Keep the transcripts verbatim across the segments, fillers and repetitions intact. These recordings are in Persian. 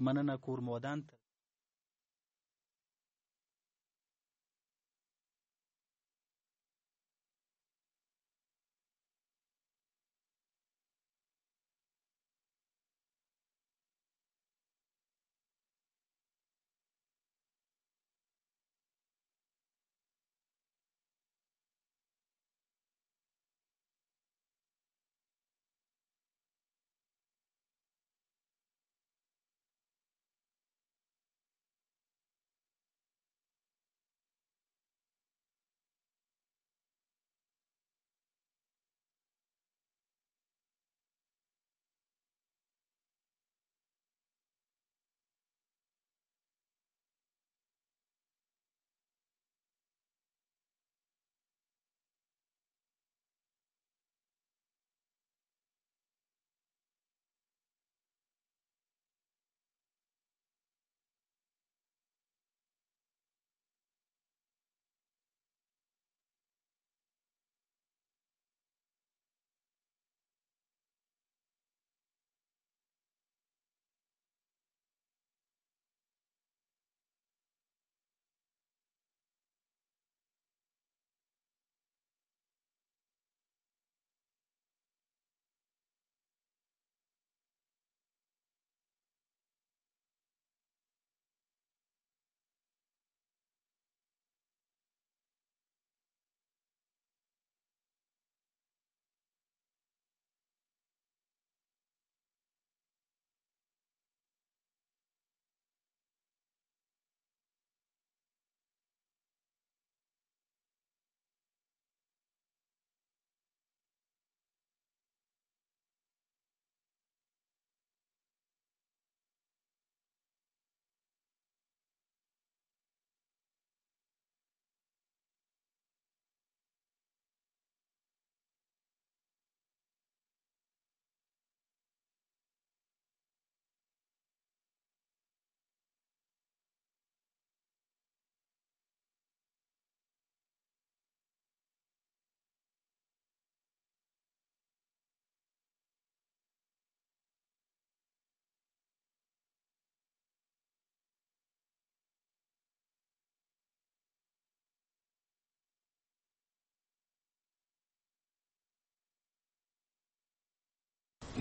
مننه، کور مو ودان.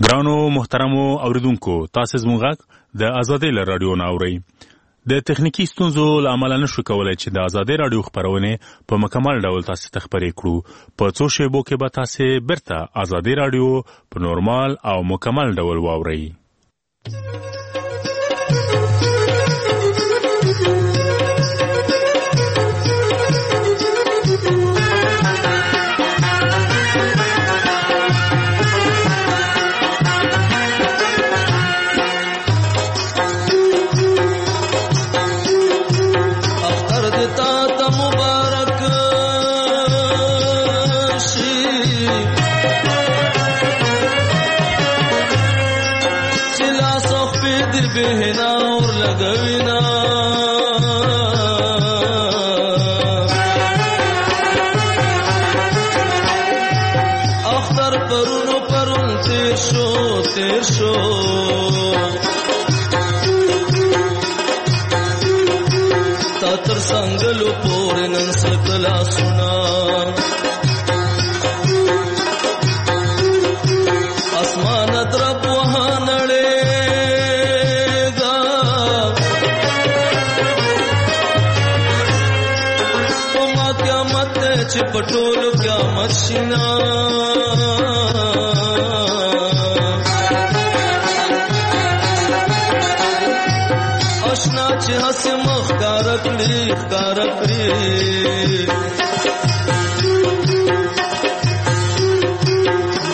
ګرانو محترمو اوریدونکو، تاسو زموږ غږ د ازادۍ له راډیو نه اورئ. د تخنیکي ستونزو له امله نشو کولای چې د ازادۍ راډیو خپرونې په مکمل ډول تاسو ته خپرې کړو. په څو شیبو کې به تاسو بیرته ازادۍ راډیو په نورمال او مکمل ډول واورئ. پټول قیامت شینا اشنا چې هس مخ کار کړی کار کړی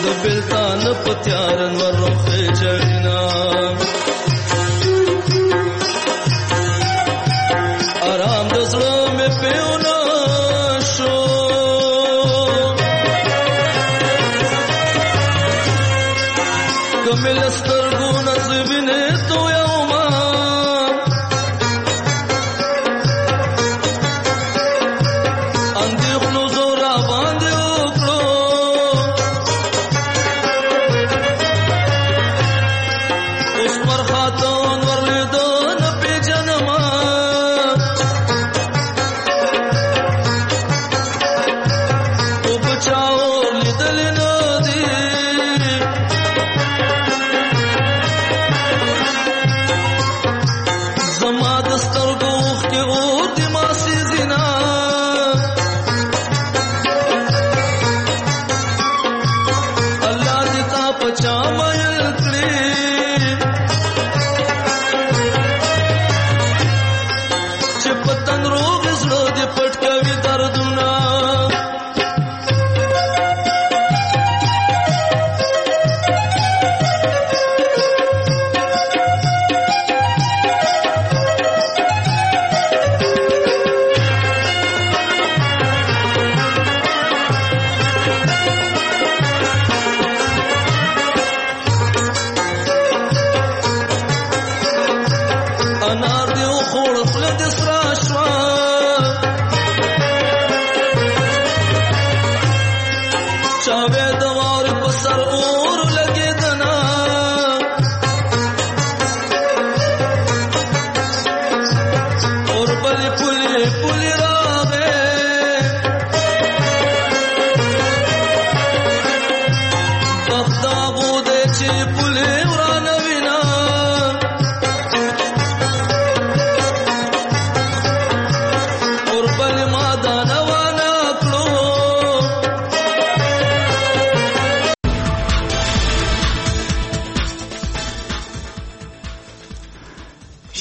د بلتان پتیارن ورخه چړینا آرام د زړه مې پیونه شو کمل سترګو نصیبینه تو یوما اندېښنو زور را باندې وکړو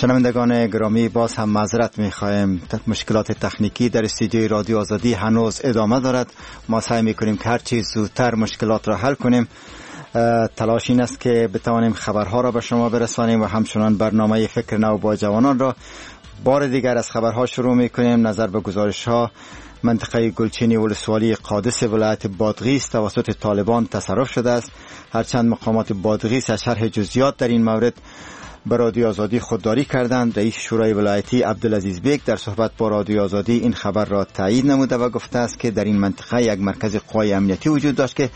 شنوندگان گرامی، باز هم معذرت میخواهیم. مشکلات تکنیکی در استودیوی رادیو آزادی هنوز ادامه دارد. ما سعی میکنیم که هر چیز زودتر مشکلات را حل کنیم. تلاش این است که بتوانیم خبرها را به شما برسانیم و همچنان برنامه فکر نو با جوانان را بار دیگر از خبرها شروع میکنیم. نظر به گزارش ها، منطقه گلچینی ولسوالی قادس ولایت بادغیس توسط طالبان تصرف شده است. هرچند مقامات بادغیس از شرح جزئیات در این مورد به رادیو آزادی خودداری کردند. رئیس شورای ولایتی عبدالعزیز بیک در صحبت با رادیو آزادی این خبر را تایید نموده و گفته است که در این منطقه یک مرکز قوای امنیتی وجود داشت که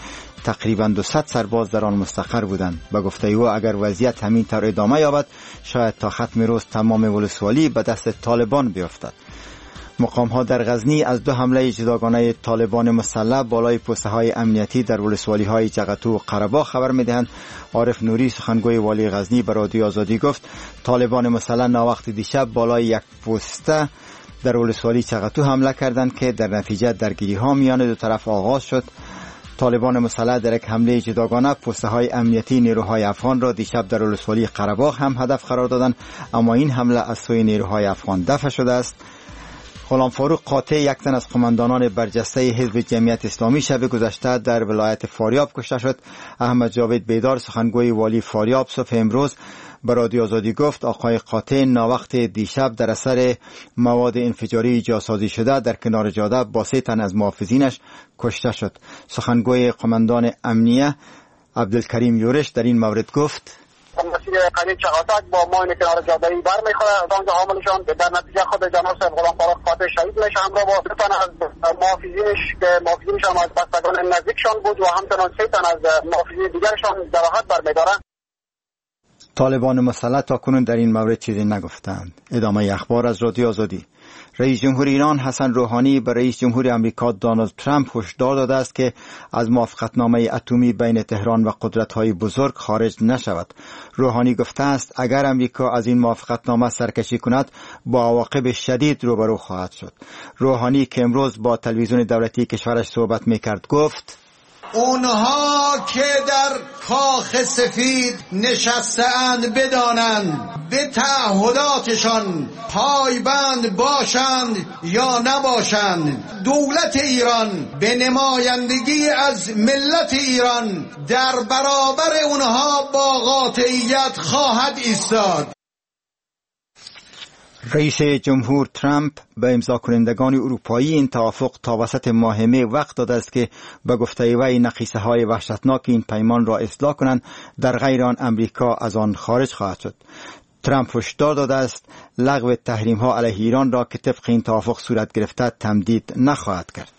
تقریباً دویست سرباز در آن مستقر بودند. به گفته او اگر وضعیت همین طور ادامه یابد شاید تا ختم روز تمام ولسوالی به دست طالبان بیفتد. مقام ها در غزنی از دو حمله جداگانه طالبان مسلح بالای پوسته های امنیتی در ولسوالی های جغتو و قره‌باغ خبر میدهند. عارف نوری سخنگوی والی غزنی به رادیو آزادی گفت طالبان مسلح ناوقت دیشب بالای یک پوسته در ولسوالی چغتو حمله کردند که در نتیجه درگیری ها میان دو طرف آغاز شد. طالبان مسلح در یک حمله جداگانه پوسته های امنیتی نیروهای افغان را دیشب در ولسوالی قره‌باغ هم هدف قرار دادند، اما این حمله از سوی نیروهای افغان دفع شده است. غلام فاروق قاطع، یک تن از قماندانان برجسته حزب جمعیت اسلامی، شب گذشته در ولایت فاریاب کشته شد. احمد جاوید بیدار سخنگوی والی فاریاب صبح امروز به رادیو آزادی گفت آقای قاطع ناوقت دیشب در اثر مواد انفجاری جاسازی شده در کنار جاده با سه تن از محافظینش کشته شد. سخنگوی قماندان امنیه عبدالکریم یورش در این مورد گفت مسیر قریه چغاتک با ماین کنار جاده‌ای برمیخوره، آنجا حاملشان در نتیجه خود جناب صاحب غلام فاروق قاطع شهید میشه همراه با دو تن از محافظینش که محافظینش هم از بستگان نزدیکشان بود و همچنان سه تن از محافظین دیگرشان جراحت برمیدارند. طالبان مسلح تا کنون در این مورد چیزی نگفتند. ادامه اخبار از رادیو آزادی. رئیس جمهور ایران حسن روحانی به رئیس جمهور آمریکا دونالد ترامپ هشدار داده است که از موافقتنامه اتمی بین تهران و قدرت‌های بزرگ خارج نشود. روحانی گفته است اگر آمریکا از این موافقتنامه سرکشی کند با عواقب شدید روبرو خواهد شد. روحانی که امروز با تلویزیون دولتی کشورش صحبت می‌کرد گفت اونها که در کاخ سفید نشسته‌اند بدانند به تعهداتشان پایبند باشند یا نباشند. دولت ایران به نمایندگی از ملت ایران در برابر اونها با قاطعیت خواهد ایستاد. رئیس جمهور ترامپ به امضا کنندگان اروپایی این توافق تا وسط ماه می وقت داده است که به گفته وی نقیصه های وحشتناک این پیمان را اصلاح کنند، در غیر آن امریکا از آن خارج خواهد شد. ترامپ هشدار داده است لغو تحریم ها علیه ایران را که طبق این توافق صورت گرفته تمدید نخواهد کرد.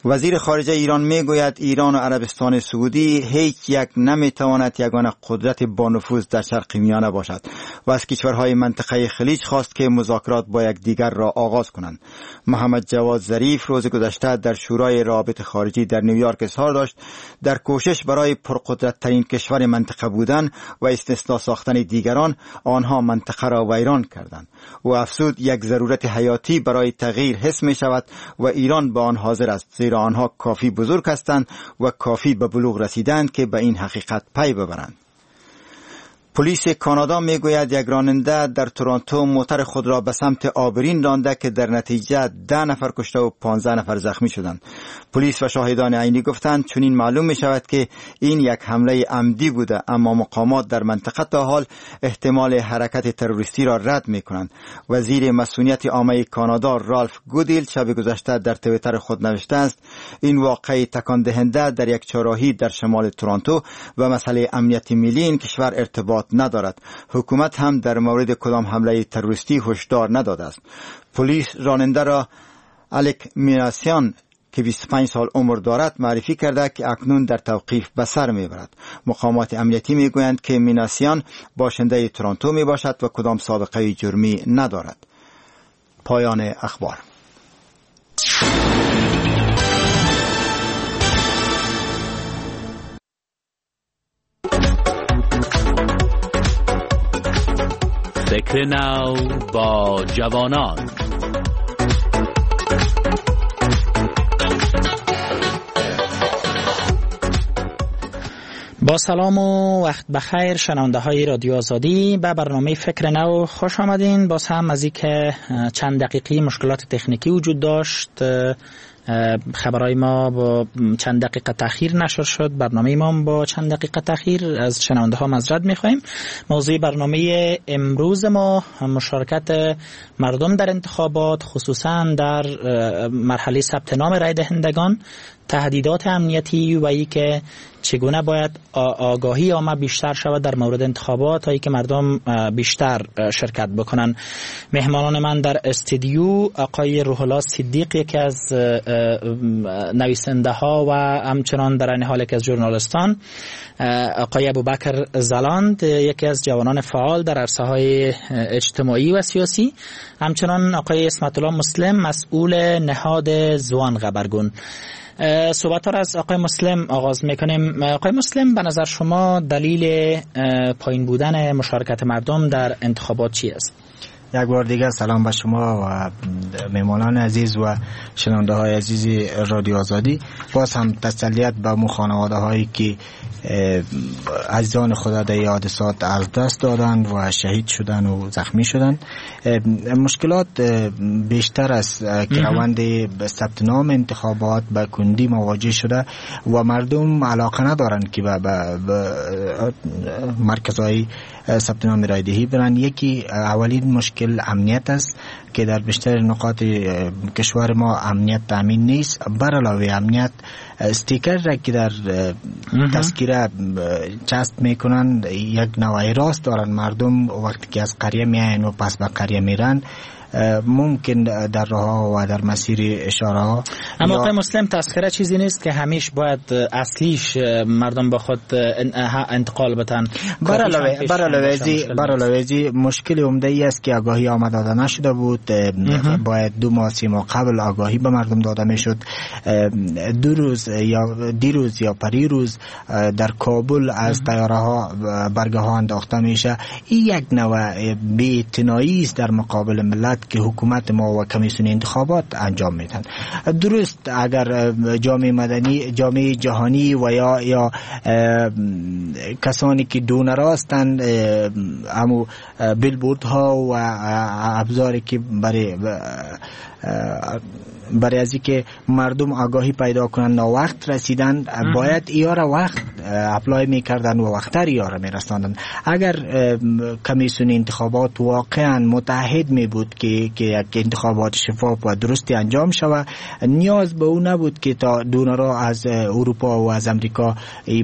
وزیر خارجه ایران میگوید ایران و عربستان سعودی هیچ یک نمیتواند یگانه قدرت با نفوذ در شرق میانه باشد و از کشورهای منطقه خلیج خواست که مذاکرات با یکدیگر را آغاز کنند. محمد جواد ظریف روز گذشته در شورای روابط خارجی در نیویورک اظهار داشت در کوشش برای پرقدرت ترین کشور منطقه بودن و استثنا ساختن دیگران آنها منطقه را ویران کردند. و افزود یک ضرورت حیاتی برای تغییر حس می شود و ایران به آن حاضر است، زیرا آنها کافی بزرگ هستند و کافی به بلوغ رسیدند که به این حقیقت پی ببرند. پلیس کانادا میگوید یک راننده در تورنتو موتر خود را به سمت آبرین رانده که در نتیجه ده نفر کشته و پانزده نفر زخمی شدند. پلیس و شاهدان عینی گفتند چنین معلوم می شود که این یک حمله عمدی بوده، اما مقامات در منطقه تا حال احتمال حرکت تروریستی را رد می کنند. وزیر مسئولیت عامه کانادا رالف گودیل شب گذشته در توییتر خود نوشته است این واقعه تکان دهنده در یک چهارراهی در شمال تورنتو و مسئله امنیت ملی این کشور ارتباط ندارد. حکومت هم در مورد کدام حمله تروریستی هشدار نداده است. پلیس راننده را الک میناسیان که بیست و پنج سال عمر دارد معرفی کرده که اکنون در توقیف به سر میبرد. مقامات امنیتی میگویند که میناسیان باشنده تورنتو میباشد و کدام سابقه جرمی ندارد. پایان اخبار. فکر نو با جوانان. با سلام و وقت بخیر شنونده های رادیو آزادی، به برنامه فکر نو خوش آمدین. باز هم از اینکه چند دقیقی مشکلات تکنیکی وجود داشت، خبرهای ما با چند دقیقه تاخیر نشر شد، برنامه ما با چند دقیقه تاخیر، از شنونده ها معذرت میخواهیم. موضوع برنامه امروز ما مشارکت مردم در انتخابات، خصوصا در مرحله ثبت نام رای دهندگان، تهدیدات امنیتی و ای که چگونه باید آگاهی عامه بیشتر شود در مورد انتخابات تا اینکه مردم بیشتر شرکت بکنن. مهمانان من در استودیو آقای روح الله صدیق، یکی از نویسنده ها و همچنان در این حال یکی از ژورنالیستان، آقای ابوبکر زلاند، یکی از جوانان فعال در عرصه های اجتماعی و سیاسی، همچنان آقای عصمت الله مسلم، مسئول نهاد زوان غبرگون. صحبت ها را از آقای مسلم آغاز میکنیم. آقای مسلم، به نظر شما دلیل پایین بودن مشارکت مردم در انتخابات چی است؟ یک بار دیگر سلام به شما و مهمانان عزیز و شنونده های عزیز رادیو آزادی. باز هم تسلیت به مو خانواده هایی که عزیزان خدا در حادثات از دست دادن و شهید شدن و زخمی شدن. مشکلات بیشتر از که روند ثبت نام انتخابات به کندی مواجه شده و مردم علاقه ندارند که به مرکزهای ثبت نام رای دهی برن. یکی اولین مشکل امنیت است که در بیشتر نقاط کشور ما امنیت تامین نیست. بر علاوه امنیت، استیکر را که در تذکره چسب میکنن یک نوع راست دارن مردم. وقتی که از قریه میاین و پس به قریه میرن ممکن در راه و در مسیر اشاره ها. اما آقای مسلم، تذکره چیزی نیست که همیش باید اصلیش مردم با خود انتقال بدن. بر علاوه ازی مشکل عمده ای است که آگاهی آمد داده نشده بود. باید دو ماه سه ماه قبل آگاهی به مردم داده میشد. دو روز یا دیروز یا پریروز در کابل از طیاره ها برگه ها انداخته میشه. این یک نوع بی‌اعتنایی است در مقابل ملت که حکومت ما و کمیسیون انتخابات انجام میدن. درست اگر جامعه مدنی، جامعه جهانی و یا یا کسانی که دونر هستند، امو بیلبورد ها و ابزاری که برای برای از اینکه مردم آگاهی پیدا کنن وقت رسیدن، باید ایارا وقت apply میکردن و وقتر ایارا میرساندن. اگر کمیسیون انتخابات واقعا متعهد می بود که که یک انتخابات شفاف و درستی انجام شود، نیاز به او نبود که تا donor ا از اروپا و از امریکا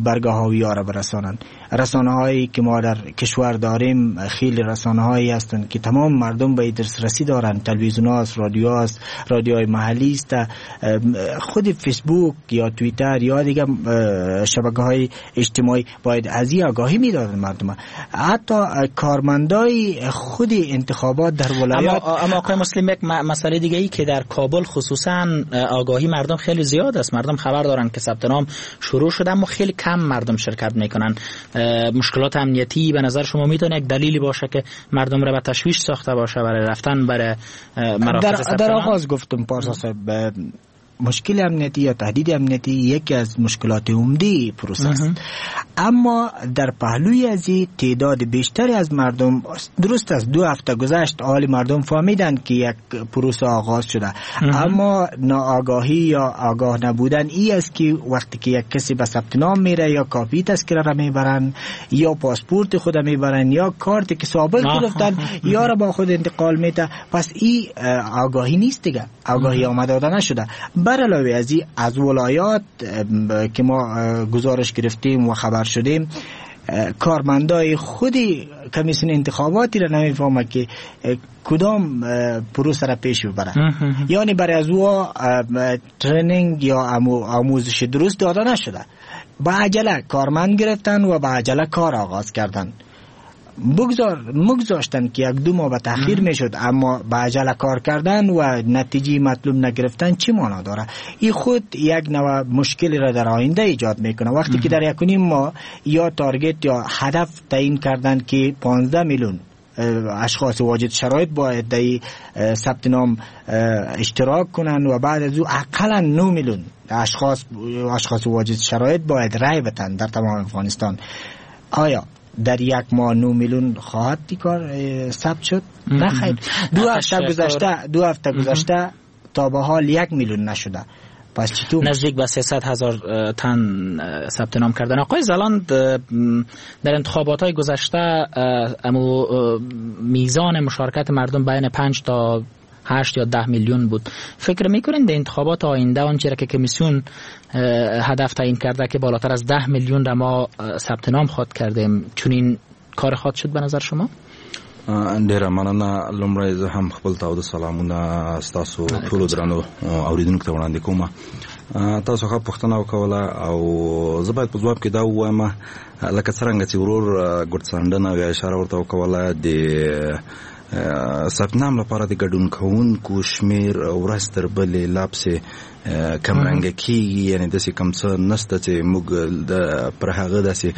برگه ها ایارا برسانند. رسانه هایی که ما در کشور داریم خیلی رسانه هایی هستند که تمام مردم به دسترسی دارند. تلویزیون هاست، رادیو هاست، رادیوهای محلی است، خود فیسبوک یا توییتر یا دیگه شبکه های اجتماعی باید از این آگاهی میدادن مردم. حتی کارمندای خود انتخابات در ولایات. اما اما آقای مسلم، یک مسئله دیگه ای که در کابل خصوصا آگاهی مردم خیلی زیاد است، مردم خبر دارن که ثبت نام شروع شده اما خیلی کم مردم شرکت میکنن. مشکلات امنیتی به نظر شما میتونه یک دلیلی باشه که مردم را به تشویش ساخته باشه برای رفتن برای مراکز ثبت نام؟ در آغاز گفتم پارسا صاحب، مشکل امنیتی یا تهدید امنیتی یکی از مشکلات عمده پروسه است. اما در پهلوی از این تعداد بیشتری از مردم، درست از دو هفته گذشت حال مردم فهمیدند که یک پروسه آغاز شده، اما ناآگاهی یا آگاه نبودن ای است که وقتی که یک کسی به ثبت نام میره یا کاپی تذکره را میبرن یا پاسپورت خود میبرن یا کارت که سابق گرفتن یا را با خود انتقال میده، پس این آگاهی نیست دیگه، آگاهی آمده داده نشده. بر علاوه از این از ولایات که ما گزارش گرفتیم و خبر شدیم، کارمندای خود کمیسیون انتخاباتی را نمیفهمه که کدام پروسه را پیش ببره. یعنی برای از او training یا آموزش درست داده نشده. با عجله کارمند گرفتن و با عجله کار آغاز کردن. بگذار مگذاشتن که یک دو ماه به تاخیر میشد، اما به عجله کار کردن و نتیجه مطلوب نگرفتن چی معنا داره؟ این خود یک نوع مشکلی را در آینده ایجاد میکنه. وقتی که در یک و نیم ماه یا target یا هدف تعیین کردن که پانزده میلیون اشخاص واجد شرایط باید در ثبت نام اشتراک کنن و بعد از او اقلا نه میلیون اشخاص اشخاص واجد شرایط باید رای بدن در تمام افغانستان. آیا در یک ماه نه میلیون خواهد کار ثبت شد؟ نه خیر. دو هفته گذشته دو هفته گذشته تا به حال یک میلیون نشده. پس چطور نزدیک به سیصد هزار تن ثبت نام کردن؟ آقای زلاند، در انتخابات های گذشته امو میزان مشارکت مردم بین پنج تا هشت یا ده میلیون بود. فکر میکنین در انتخابات آینده آنچه را که کمیسیون هدف تعیین کرده که بالاتر از ده میلیون را ما ثبت نام خواد کردیم، چنین کار خواد شد به نظر شما؟ ډیره مننه. لومړی زه هم خپل تاوده سلامونه ستاسو ټولو درنو اوریدونکو ته وړاندې کوم. تاسو ښه پوښتنه وکوله او زه باید په ځواب کې دا ووایم، لکه څرنګه چې ورور ګوتڅنډنه او یا اشاره ورته وکوله، د ثبت نام لپاره د ګډون کوونکو شمیر ورځ تر بلې لا پسې کمرنګه کیږي. یعنی داسې کوم څه نشته چې موږ د پر هغه داسې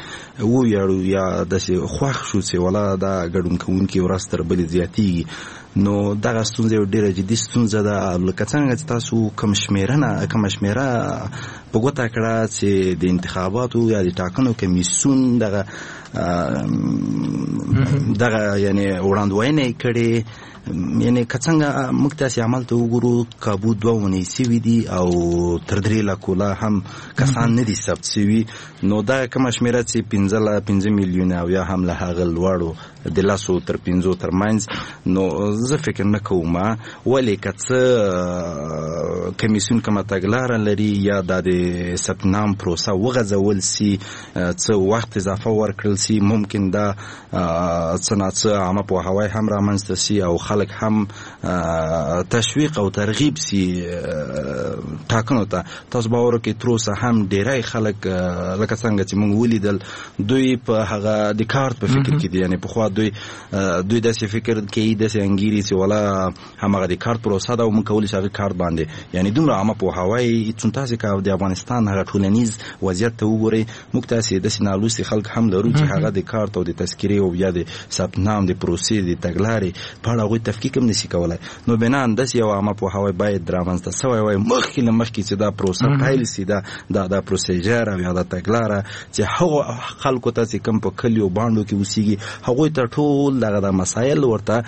وویاړو یا داسې خوښ شو چې ولا دا ګډون کوونکي ورځ تر بلې زیاتیږي. نو دغه ستونزه یو ډیره جدي ستونزه ده. لکه څنګه چې تاسو کوم شمیرنه کومه شمیره په ګوته کړه چې د انتخاباتو یا د ټاکنو کمیسیون دغه دغه یعنی وړاندوینه یې کړې، یعنی که څنګه موږ تاسې عمل ته وګورو کابو دوه اونۍ سوي دي او تر درې لکو لا هم کسان نه دي ثبت سوي. نو دا کومه شمېره چې پنځه له پنځه میلیونه او یا هم له هغه لوړو د لسو تر پنځو ترمنځ، نو زه فکر نه کوم. ولې که څه کمیسیون کومه تګلاره لري یا دا د ثبت نام پروسه وغځول سي، څه وخت اضافه ورکړل سي، ممکن دا څه ناڅه عامه پوهاوی هم رامنځته سي او خلک هم تشویق او ترغیب سي ټاکنو ته. تاسو باور وکړئ تر اوسه هم ډیری خلک لکه څنګه چې موږ ولیدل دوی په هغه د کارت په فکر کې دي. یعنی پخوا دوی دوی داسې فکر کوي، داسې انګیري چې ولا هماغه د کارت پروسه ده او موږ کولی شو هغه کارت باندې، یعنی دومره عامه پوهاوی. څون تاسې که د افغانستان هغه ټولنیز وضعیت ته وګورئ، موږ تاسې داسې نالوستي خلک هم لرو چې هغه د کارت او د تذکرې او یا د ثبت نام د پروسې د تګلارې په اړه هغوی تفکیک هم نشي کولای. نو بنا داسې یو عامه پوهاوی باید رامنځته سوی وای مخکې له مخکې چې دا پروسه پیل سي، دا دا دا procedure او یا دا تګلاره چې هغو خلکو ته چې کوم په کلیو بانډو کې اوسیږي هغوی ته ټول دغه دا مسایل ورته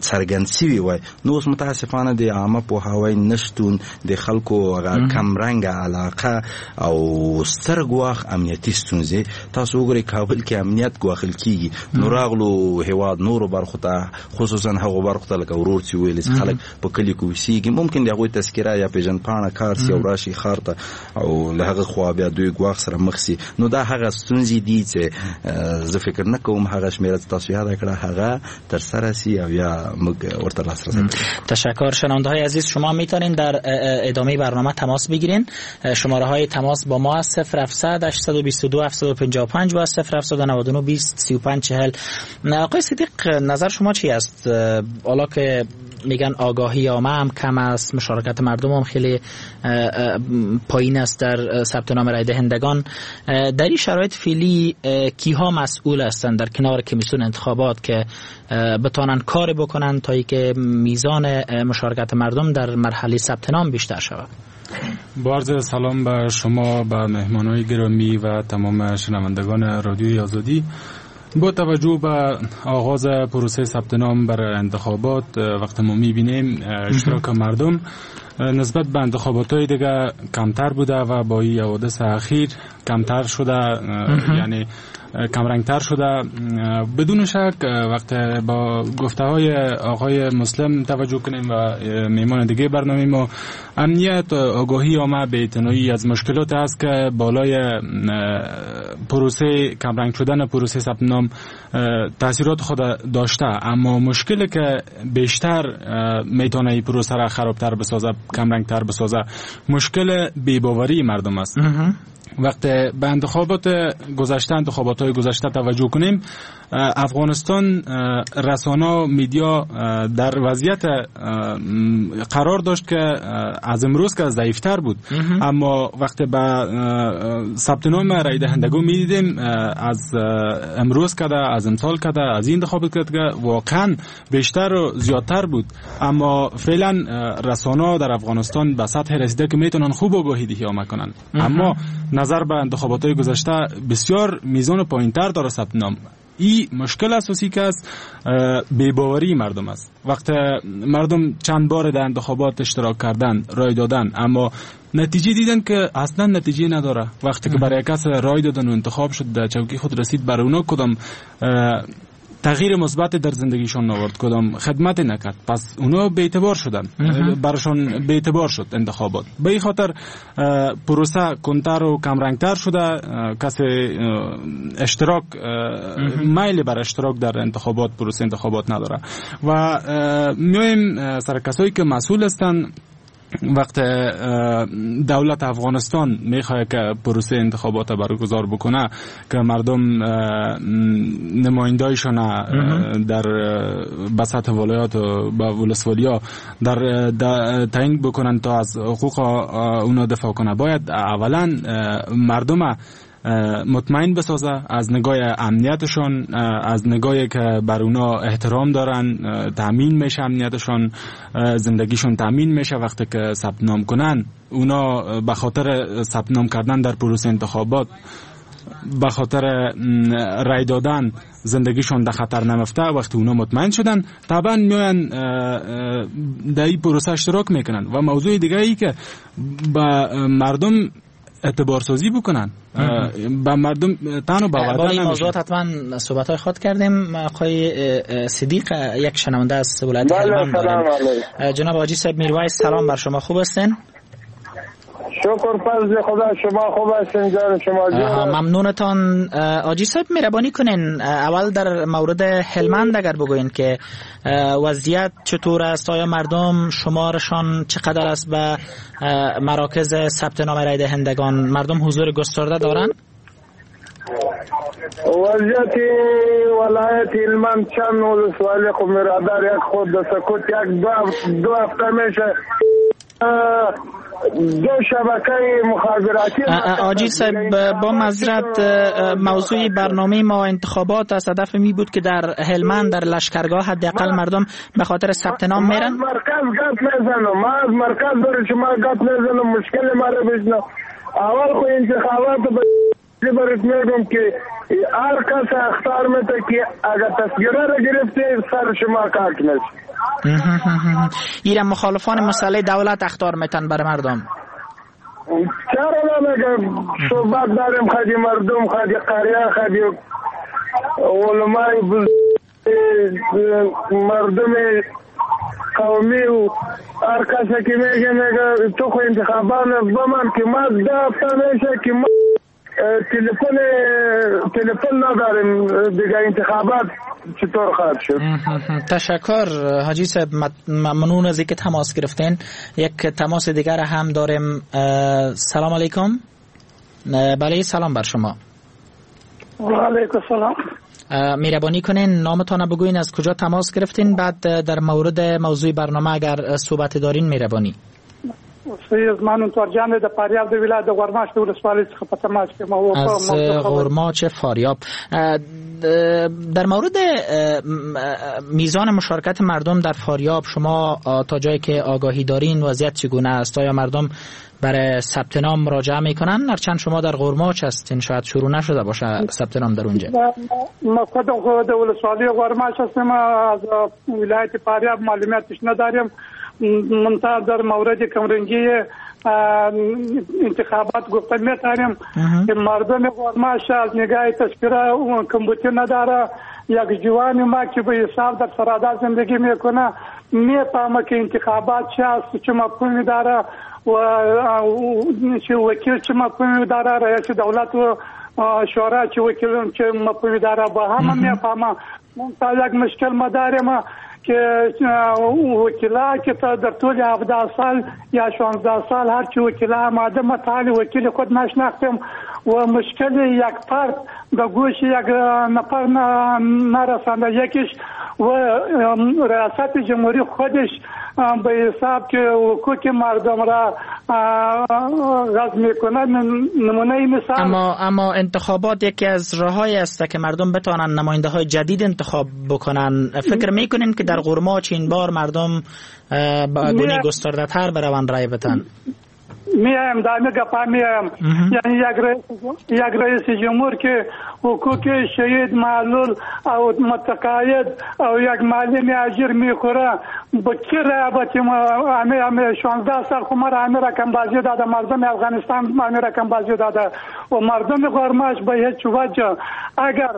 څرګند سوي وای. نو اوس متاسفانه د عامه پوهاوی نشتون، د خلکو هغه کمرنګه علاقه او ستر ګواښ امنیتي ستونزې. تاسو وګورئ کابل کې امنیت ګواښل کیږي، نو راغلو هیواد نورو برخو ته، خصوصا هغو برخو ته لکه ورور چې ویل چې خلک په کلي کې اوسیږي، ممکن د هغوی تذکره یا پیژندپاڼه کار سي او راشي ښار ته او له هغه خوا بیا دوی ګواښ سره مخ سي. نو دا هغه ستونزې دي چې زه فکر نه کوم هغه شمېره چې تاسو یاده کړه هغه ترسره سي او یا موږ ورته لاسرسی ولرو. تشکر. شنونده های عزیز، شما میتونین در ادامه برنامه تماس بگیرین. شماره های تماس با ما صفر هفتصد هشتصد و بیست و دو هفتصد و پنجاه و پنج و صفر هفتصد و نود و نه بیست سی و پنج چهل. آقای صدیق، نظر شما چی است؟ حالا که میگن آگاهی عامه هم کم است، مشارکت مردم هم خیلی پایین است در ثبت نام رای دهندگان، در این شرایط فعلی کیها مسئول هستند در کنار کمیسیون انتخابات که بتانن کار بکنن تا اینکه میزان مشارکت مردم در مرحله ثبت نام بیشتر شود؟ با عرض سلام به شما، به مهمانای گرامی و تمام شنوندگان رادیوی آزادی. با توجه به آغاز پروسه ثبت نام برای انتخابات، وقت ما می‌بینیم اشتراک مردم نسبت به انتخابات‌های دیگه کمتر بوده و با این حوادث اخیر کمتر شده، یعنی کمرنگتر شده. بدون شک وقت با گفته های آقای مسلم توجه کنیم و میمان دیگه برنامه ما، امنیت، آگاهی عامه، بی‌اعتنایی از مشکلات است که بالای پروسه کمرنگ شدن پروسه ثبت نام تاثیرات خود داشته. اما مشکلی که بیشتر میتونه این پروسه را خرابتر بسازه، کمرنگتر بسازه، مشکل بی‌باوری مردم است. وقتی به انتخابات گذشته، انتخابات های گذشته توجه کنیم، افغانستان رسانه media در وضعیت قرار داشت که از امروز که ضعیفتر بود، اما وقتی به ثبت نام رای دهندگان میدیدیم از امروز که از امسال که از این انتخابات که واقعا بیشتر و زیادتر بود. اما فعلا رسانه در افغانستان به سطح رسیده که میتونن خوب آگاهی دهی عامه کنن، اما نظر به انتخابات گذشته بسیار میزان پایینتر داره ثبت نام. این مشکل اساسی که است بی‌باوری مردم است. وقت مردم چند بار در انتخابات اشتراک کردن، رای دادن، اما نتیجه دیدن که اصلا نتیجه نداره. وقتی که برای کس رای دادن و انتخاب شد، در چوکی خود رسید، برای اونا کدام تغییر مثبت در زندگیشون آورد، کدام خدمت نکرد، پس اونا بی اعتبار شدن، براشون بی اعتبار شد انتخابات. به این خاطر پروسه کنتر و کمرنگتر شده، کسی اشتراک میل بر اشتراک در انتخابات، پروسه انتخابات نداره. و میایم سر کسایی که مسئول هستند. وقت دولت افغانستان میخواد که پروسه انتخابات برگزار بکنه که مردم نمایندایشان در بساط ولایات و ولسوالیا در تعیین بکنن تا از حقوق اونا دفاع کنه، باید اولا مردم مطمئن بسازه از نگاه امنیتشون، از نگاهی که بر اونا احترام دارن، تامین میشه امنیتشون، زندگیشون تامین میشه. وقتی که ثبت نام کنن اونا به خاطر ثبت نام کردن در پروسه انتخابات، به خاطر رای دادن زندگیشون در خطر نمیفته. وقتی اونا مطمئن شدن طبعا میان در این پروسه اشتراک میکنن. و موضوع دیگه ای که به مردم اعتبار سازی بکنن، با مردم تنو باور با این موضوعات حتما صحبت های خود کردیم. آقای صدیق یک شنونده از ولایت هلمند داریم. جناب حاجی صاحب میرویس، سلام بر شما، خوب هستین؟ شکر فضل خدا، شما خوب هستین؟ جان شما جان ممنونتان. حاجی صاحب مهربانی کنین اول در مورد هلمند اگر بگوین که وضعیت چطور است، آیا مردم شمارشان چقدر است به مراکز ثبت نام رای دهندگان، مردم حضور گسترده دارند؟ وضعیت ولایت هلمند چند ولسوالی خو برادر یک خود سکوت یک دو هفته میشه دو شبکه مخابراتی. حاجی صاحب با معذرت، موضوع برنامه ما انتخابات است. هدف می بود که در هلمند در لشکرگاه حداقل مردم به خاطر ثبت نام میرن. ما از مرکز گپ میزنم، ما از مرکز برای شما گپ میزنم، مشکل ما رو بشنو. اول خو انتخابات برات میگم که هر کس اختار میده که اگر تذکره را گرفته سر شما کارت میشه. ایران مخالفان مسئله دولت اخطار میتن برای مردم. چرا نمیگم صحبت داریم خدی مردم، خدی قریه، خدی علمای مردم قومی و هر کسی که میگه میگه تو خو انتخابات بمن که ما ده هفته میشه که ما تلفن تلفن نداریم دیگه، انتخابات چطور خواهد شد؟ تشکر حاجی صاحب، ممنون از اینکه تماس گرفتین. یک تماس دیگر هم داریم. سلام علیکم. بله سلام بر شما. و علیکم السلام. مهربانی کنین نامتان بگوین، از کجا تماس گرفتین، بعد در مورد موضوع برنامه اگر صحبت دارین مهربانی. زما نوم تورجان دی، د فاریاب د ولایت د غورماچ د ولسوالۍ څخه په تماس کې یم. از غورماچ فاریاب. در مورد میزان مشارکت مردم در فاریاب شما تا جایی که آگاهی دارین وضعیت چگونه است؟ آیا مردم برای ثبت نام مراجعه میکنن؟ هرچند شما در غورماچ هستین شاید شروع نشده باشه ثبت نام در اونجا. ما خود د ولسوالۍ غورماچ هستیم، از ولایت فاریاب معلوماتش نداریم. منتها در مورد کمرنگی انتخابات گفته میتونیم که مردم غورماش از نگاه تذکره کمبوتی نداره. یک جوان ما که به حساب در سرادا زندگی میکنه میفهمه که انتخابات چه است، چه مفهومی داره و چه وکیل چه مفهومی داره، رئیس دولت و شورا چه وکیل چه مفهومی داره، با همه میفهمه. منتها یک مشکل ما داریم که وکیلا که تا در طول هفده سال یا شانزده سال هرچی وکیلا آماده ما تا حال وکیل خود نشناختیم و مشکل یک فرد به گوش یک نفر نرسانده. یکیش و ریاست جمهوری خودش به حساب که حقوق مردم را غض میکنه. نمونه مثال اما اما انتخابات یکی از راههایی است که مردم بتوانند نماینده های جدید انتخاب بکنن. فکر میکنین که در غرماچ این بار مردم به گونه گسترده تر بروند رای بدن؟ میایم دامه گپا میایم. یعنی یک رئیس یک رئیس جمهور که حقوق شهید معلول او متقاعد او یک معلم اجیر میخوره با کی رای بتیم؟ همه همه شانزده سال خو ما همه رقم بازی داده، مردم افغانستان همه رقم بازی داده و مردم غرماش به هیچ وجه اگر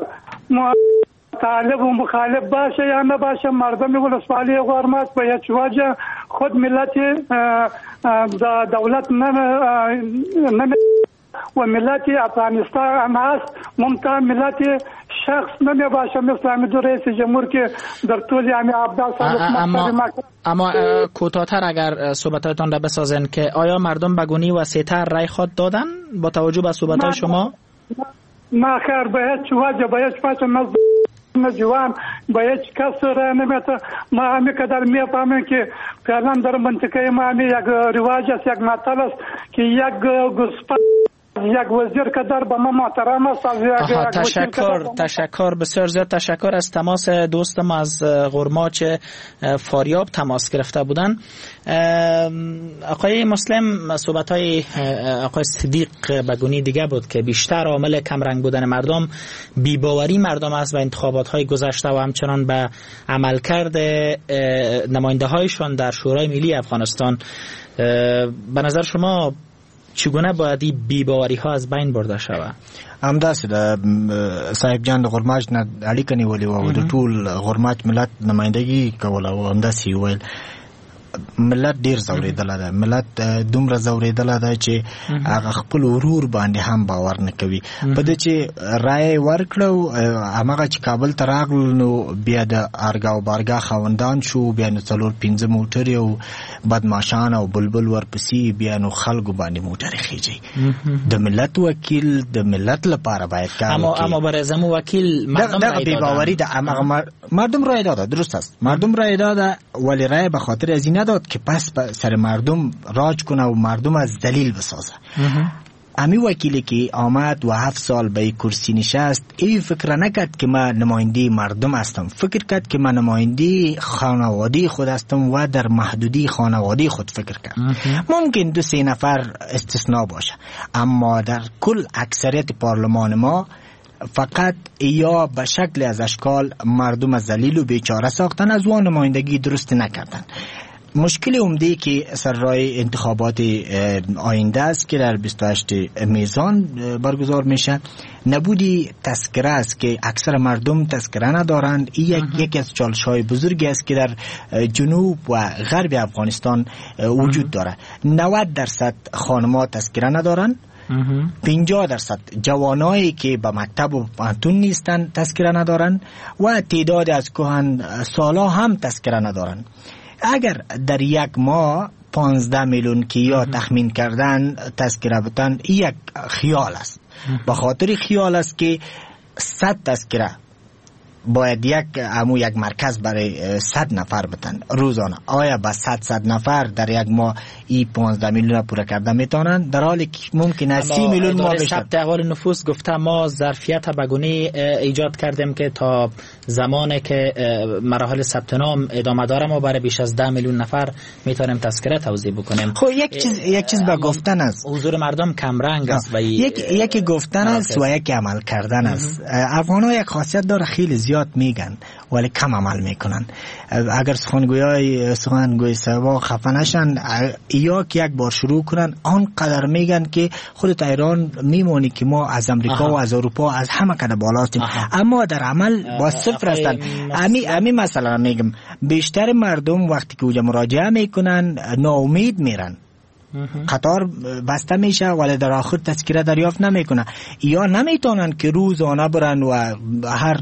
طالب و مخالف باشه یا نباشه مردم ولسوالی غرماش به هیچ وجه خود ملت دولت نمی و ملت افغانستان هست ممتاز ملت شخص نمی باشه مثل همین دو رئیس جمهور که در طول همین هفده سال. اما اما کوتاه‌تر اگر صحبت‌هایتان را بسازن که آیا مردم به گونه‌ای وسیع‌تر رای خود دادن با توجه به صحبت‌های شما؟ نه خیر، به هیچ وجه به هیچ وجه نه جوان به هیچ کس رای نمیده. ما همین قدر میفهمیم که فعلا در منطقه ما همین یک رواج است، یک متل است که یک گوسفند یک وزیر قدر به ما محترم است. از یک تشکر تشکر بسیار زیاد تشکر از تماس دوستم از غرماچ فاریاب تماس گرفته بودن. آقای مسلم، صحبت های آقای صدیق بگونی دیگه بود که بیشتر عامل کمرنگ بودن مردم بیباوری مردم است به انتخابات های گذشته و همچنان به عملکرد نماینده هایشان در شورای ملی افغانستان. به نظر شما چگونه باید این بی‌باوری ها از بین برده شود؟ همداسې د صاحب جان د غرماج نه اړیکه نیولې وه او د ټول غرماج ملت نمایندګي کوله او همداسې یې ویل. ملت ډیر ځورېدلی دی، ملت دومره ځورېدلی دی چې هغه خپل ورور باندې هم باور نه کوي. په دې چې رایه ورکړه هماغه چې کابل ته راغلل نو بیا د ارګا او بارګا خاوندان شو، بیا نو څلور پنځه موټرې او بدماشان او بلبل ورپسې، بیا نو خلکو باندې موټرې خېژي. د ملت وکیل د ملت لپاره باید کار اما اما برای زمو وکیل مردم دغه بی‌باوری ده. اما مردم رای داده، درست است، مردم رای داده، ولی رای به خاطر از این نداد که پس سر مردم راج کنه و مردم از دلیل بسازه. امی وکیلی که آمد و هفت سال به کرسی نشست ای فکر نکرد که من نماینده مردم هستم، فکر کرد که من نماینده خانواده خود هستم و در محدودی خانواده خود فکر کرد. ممکن دو سه نفر استثناء باشه، اما در کل اکثریت پارلمان ما فقط یا به شکل از اشکال مردم ذلیل و بیچاره ساختن، از اون نمایندگی درست نکردن. مشکل عمده که سر راه انتخابات آینده است که در بیست و هشت میزان برگزار میشه، نبودی تذکره است که اکثر مردم تذکره ندارند. این یک یکی از چالش های بزرگی است که در جنوب و غرب افغانستان وجود داره. نود درصد خانم‌ها تذکره ندارند، پنجاه درصد جوانایی که به مکتب و پوهنتون نیستند تذکره ندارند و تعداد از کهن سالا هم تذکره ندارند. اگر در یک ماه پانزده میلیون که یا تخمین کردن تذکره بتن، یک خیال است. به خاطر خیال است که صد تذکره باید یک امو یک مرکز برای صد نفر بتن روزانه. آیا با صد صد نفر در یک ماه ای پانزده میلیون پوره کرده میتونن؟ در حالی که ممکن است سی میلیون ما بشه. ثبت احوال نفوس گفته ما ظرفیت بگونی ایجاد کردیم که تا زمانی که مراحل ثبت نام ادامه داره ما برای بیش از ده میلیون نفر میتونیم تذکره توزیع بکنیم. خب یک چیز یک چیز با گفتن است، حضور مردم کم رنگ است و یک یکی گفتن است و یکی عمل کردن است. افغان‌ها یک خاصیت داره، خیلی زیاد میگن ولی کم عمل میکنن. اگر سخنگویای سخنگوی سوا خفه نشن یا که یک بار شروع کنن آنقدر میگن که خود ایران میمونی که ما از امریکا و از اروپا از همه کده بالا هستیم، اما در عمل با صفر هستن. امی امی مثلا میگم بیشتر مردم وقتی که اونجا مراجعه میکنن ناامید میرن، قطار بسته میشه ولی در آخر تذکره دریافت نمیکنه، یا نمیتونن که روزانه برن و هر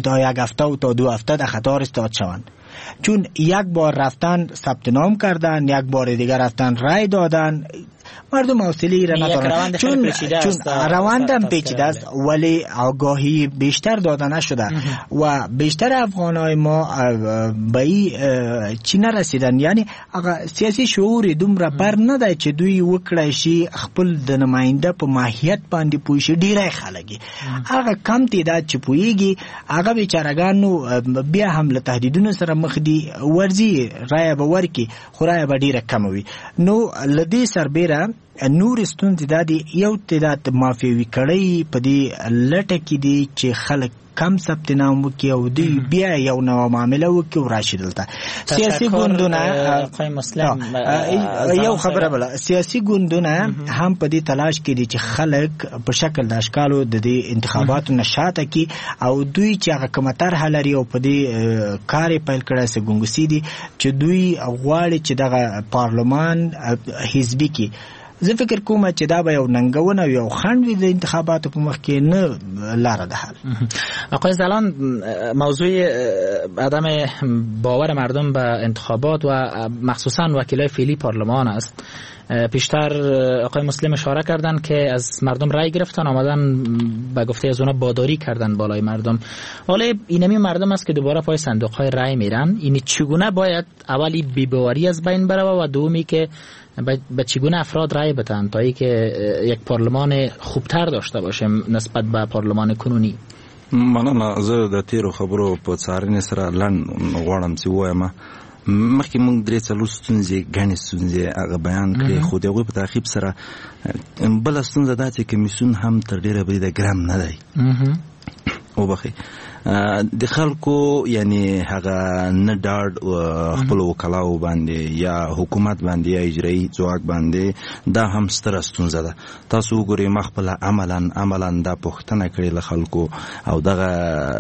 تا یک هفته و تا دو هفته در قطار استاد شوند. چون یک بار رفتن ثبت نام کردن، یک بار دیگر رفتن رای دادن، مردم حوصله را ندارن، چون چون روندم پیچیده است، ولی آگاهی بیشتر داده نشده و بیشتر افغانای ما به این چی نرسیدن، یعنی سیاسي شعور دومره بر نه دی چې دوی وکړای شي خپل د نماینده په ماهیت باندې پوه شي. ډیری خلک هغه کم تعداد چې پوهیږي هغه بیچارهګان نو بیا هم له تهدیدونو سره مخ دي، ورځي رایه به ورکړي خو رایه به ډیره کمه وي. نو له دې سربېره نور ستونزې دا دي، یو تعداد مافیوي کړۍ په دې لټه کې دي چې خلک کم ثبت نام وکړي او دوی بیا یو نوه معامله وکړي او راشي دلته. سیاسي ګوندونه یو خبره بله، سیاسي ګوندونه هم په دې تلاش کې دي چې خلک په شکل د اشکالو د دې انتخاباتو نه شاته کړي او دوی چې هغه کومه طرحه لري او په دې کار یې پیل کړی څه ګنګوسې دي چې دوی غواړي چې دغه پارلمان حزبي کړي. زه فکر کوم چې دا به یو ننګونه او یو خنډ وي د انتخاباتو په مخ کې، نه لاره ده حل. آقای زلان، موضوع عدم باور مردم به انتخابات و مخصوصا وکیلای فعلی پارلمان است. پیشتر آقای مسلم اشاره کردن که از مردم رای گرفتن، آمدن به گفته از اونا باداری کردن بالای مردم. حالا اینمی مردم است که دوباره پای صندوق های رای میرن. این چگونه باید اولی بی‌باوری از بین بره و دومی که به چگونه افراد رای بدن تا اینکه یک پارلمان خوبتر داشته باشیم نسبت به پارلمان کنونی؟ مننه. زه د تیرو خبرو په څارنې سره لنډ غواړم چې ووایم مخکې موږ درې څلور ستونزې ګڼې ستونزې هغه بیان کړې، خو د هغوی په تعقیب سره بله ستونزه دا چې کمیسیون هم تر ډېره بریده ګرم نه دی. وبخښئ، د خلکو یعنی هغه نه ډاډ خپل وکلاو باندې یا حکومت باندې یا اجرایي ځواک باندې، دا هم ستره ستونزه ده. تاسو وګورئ، ما خپله عملاً عملاً دا پوښتنه کړې له خلکو او دغه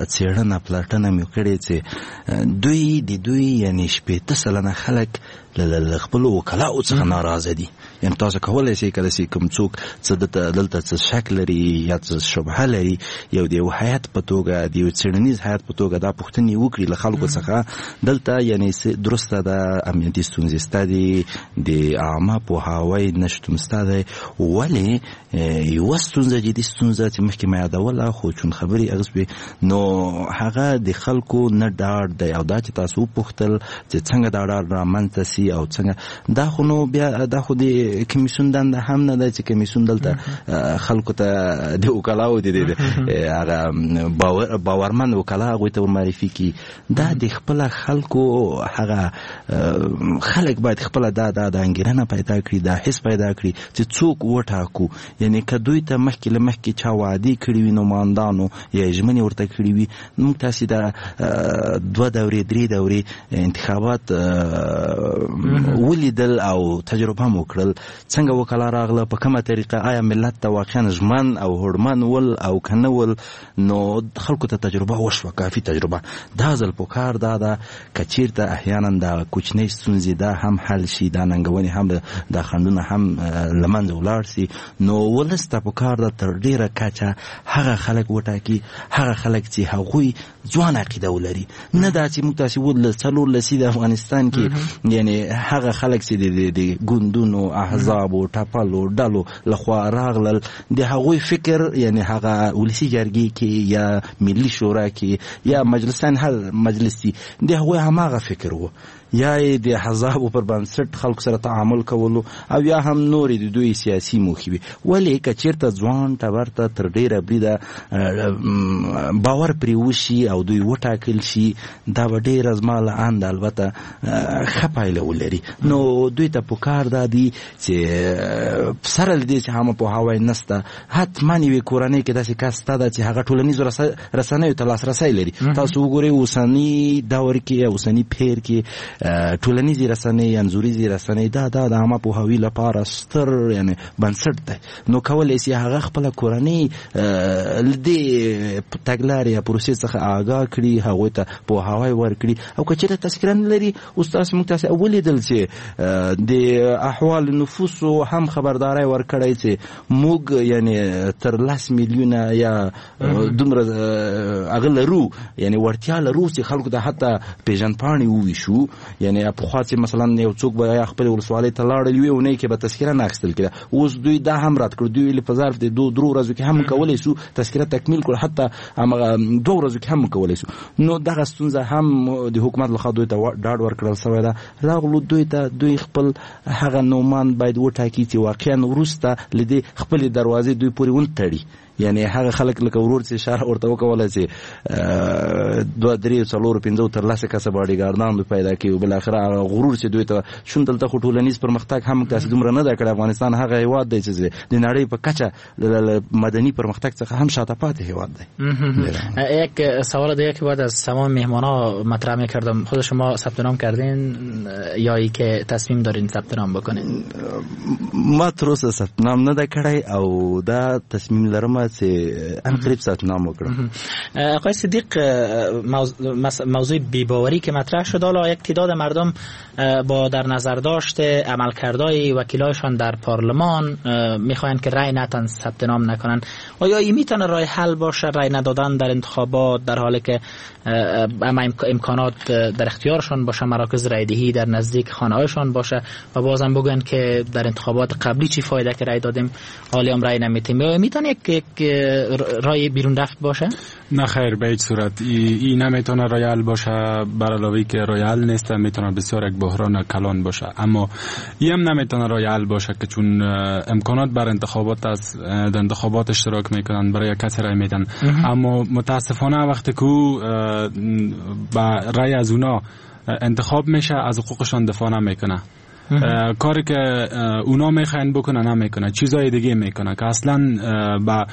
څېړنه پلټنه مې کړې چې دوی د دوی یعنی شپېته سلنه خلک له خپلو وکلاو څخه ناراضه دي. یعنی تاسو کولی شئ کله چې کوم څوک څه دلته څه شک لري یا څه شبهه لري، یو د یو هیئت په توګه، د یو څېړنیز هیئت په توګه دا پوښتنې وکړي له خلکو څخه، دلته یعنی درسته ده امنیتي ستونزې شته دي، د عامه پوهاوی نشتون شته دی، ولې یوه ستونزه جدي ستونزه چې مخکې مې یادوله خو چون خبرې اغوستې، نو هغه د خلکو نه ډاډ دی. او دا چې تاسو وپوښتل چې څنګه دا ډاډ رامنځته سي او څنګه، دا خو نو بیا دا خو د کمیسیون دنده هم نه ده چې کمیسیون دلته خلکو ته د وکلاو د هغه باور باورمن وکلا هغوی ته ورمعرفي کړي. دا د خپله خلکو هغه خلک باید خپله دا دا د انګېرنه پیدا کړي، دا حس پیدا کړي چې څوک وټاکو. یعنی که دوی ته مخکې له مخکې چا وعدې کړې وي نوماندانو یا ژمنې ورته کړې وي، موږ تاسې دا دوه دورې درې دورې انتخابات ولیدل او تجربه مو وکړل، څنګه وکلا راغله، په کومه طریقه، آیا ملت ته واقعا ژمن او هوډمن ول او که نه ول. نو خلکو ته تجربه وشوه، کافي تجربه. دا ځل پکار دا ده که چیرته احیانا دا کوچنۍ ستونزې دا هم حل شي، دا ننګونې هم دا خنډونه هم له منځه ولاړ شي، نو ولس ته پکار ده تر ډېره کچه هغه خلک وټاکي، هغه خلک چې هغوی ځوان عقیده ولري، نه دا چې موږ تاسې ول څلور لسیزې د افغانستان کې یعنی هغه خلک چې د ګوندونو احزابو ټپلو ډلو لخوا راغلل، د هغوی فکر یعنی هغه ولسي جرګې کې یا ملي شورا کې یا مجلسان هر مجلس دي، د هغوی هماغه فکر و، یا یې د احزابو پر بنسټ خلکو سره تعامل کولو او یا هم نورې د دوی سیاسي موخې وي. ولې که چیرته ځوان ټبر ته تر ډېره بریده باور پرې وشي او دوی وټاکل شي، دا به ډېره زما له انده البته ښه پایله ولري. نو دوی ته پکار دا دي چې سره له دې چې عامه پوهاوی نسته، حتما یوې کورنۍ کې داسې کس شته ده چې هغه ټولنیزو رسنیو ته لاسرسی لري. تاسو وګورئ اوسني دور کې، اوسني پېر کې ټولنیزې رسنۍ، انځوریزې رسنۍ دا دا د عامه پوهاوي لپاره ستر یعنی بنسټ دی. نو کولی شي هغه خپله کورنۍ له دې تګلارې یا پروسې څخه آګاه کړي، هغوی ته پوهاوی ورکړي. او که چېرته تذکره نه لري، اوس تاسو موږ تاسې ولیدل چې د احوال نفوسو هم خبرداری ورکړی چې موږ یعنی تر لس میلیونه یا دومره هغه لرو، یعنی وړتیا لرو چې خلکو ته حتی پیژندپاڼې وویشو. یعنی پخوا چې مثلا یو څوک به یا خپل ولسوالۍ ته لاړل یوې اونۍ کې به تذکره نه اخیستل کېده، اوس دوی دا هم رد کړو، دوی ویل په ظرف د دوه درو ورځو کې هم کولی شو تذکره تکمیل کړو، حتی همغه دوه ورځو کې هم کولی شو. نو دغه ستونزه هم د حکومت لخوا دوی ته ډاډ ورکړل شوی ده. راغلو دوی ته دوی خپل هغه نومان باید وټاکي چې واقعا وروسته له دې خپلې دروازې دوی پورې ونه تړي. یعنی هغه خلک لکه ورور چې اشاره ورته وکوله چې دوه درې څلور پنځه تر لسه کسه باډیګاردان دوی پیدا کوي، بالاخره هغه غرور چې دوی ته شون دلته خو ټولنیز پرمختګ هم تاسو دومره نه ده کړی. افغانستان هغه هیواد دی چې د نړۍ په کچه مدني پرمختګ څخه هم شاته پاتې هیواد دی. یک سوال دیگه که باید از تمام مهمانا مطرح می‌کردم، خود شما ثبت نام کردین یا ای که تصمیم دارین ثبت نام بکنین؟ ما تر اوسه ثبت نام نه ده کړی او دا تصمیم لرم چې ان قریب ثبت نام وکړم. آقای صدیق، موضوع بی‌باوری که مطرح شد، حالا یک تعداد مردم با در نظر داشت عملکردهای وکیلایشان در پارلمان میخواهند که رأی ندن، ثبت نام نکنن. آیا این میتونه راه حل باشه، رأی ندادن در انتخابات در حالی که اما امکانات در اختیارشان باشه، مراکز رأی دهی در نزدیک خانه‌هایشان باشه و بازم بگن که در انتخابات قبلی چی فایده که رأی دادیم حالی هم رأی نمیتیم؟ آیا میتونه یک رای بیرون رفت باشه؟ نه خیر، به هیچ صورت ای, ای نمیتونه رای حل باشه. بر علاوه که رای حل نیست میتونه بسیار یک بحران کلان باشه، اما ای هم نمیتونه رای حل باشه که چون امکانات بر انتخابات از در انتخابات اشتراک میکنن، برای کسی رای میدن، اما متاسفانه وقتی که با رای از اونا انتخاب میشه از حقوقشان دفاع نمیکنه. کاری که اونا میخواین بکنه نمیکنه، چیزای دیگه میکنه که اصلا با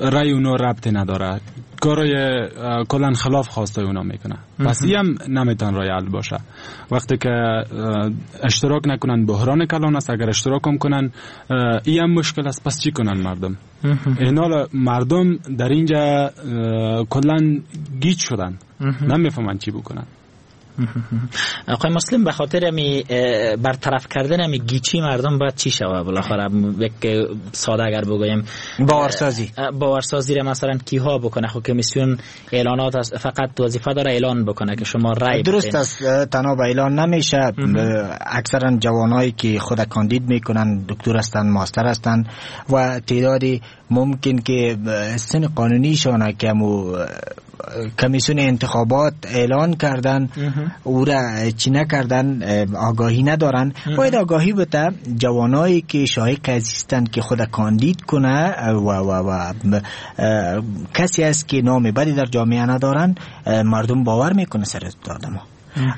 رای اونا ربطی نداره، کارای کلا خلاف خواسته اونا میکنه. پس این هم نمیتون رای حل باشه. وقتی که اشتراک نکنن بحران کلان است، اگر اشتراک هم کنن این هم مشکل است. پس چی کنن مردم؟ اینا مردم در اینجا کلا گیج شدن، نمیفهمن چی بکنن. آقای مسلم، به خاطر می برطرف کردن می گیچی مردم باید چی شوه؟ بالاخره یک ساده اگر بگویم باورسازی، باورسازی را مثلا کیها بکنه؟ خب کمیسیون اعلانات است، فقط وظیفه داره اعلان بکنه که شما رای بدین. درست است، تنها به اعلان نمیشه. اکثرا جوانایی که خود کاندید میکنن دکتر هستن، ماستر هستن و تعدادی ممکن که سن قانونیشان که مو کمیسیون انتخابات اعلان کردن او را چی نکردن، آگاهی ندارن. باید آگاهی بده جوانایی که شایق هستند که خود کاندید کنه و و و کسی است که نام بدی در جامعه ندارن، مردم باور میکنه سر آدم.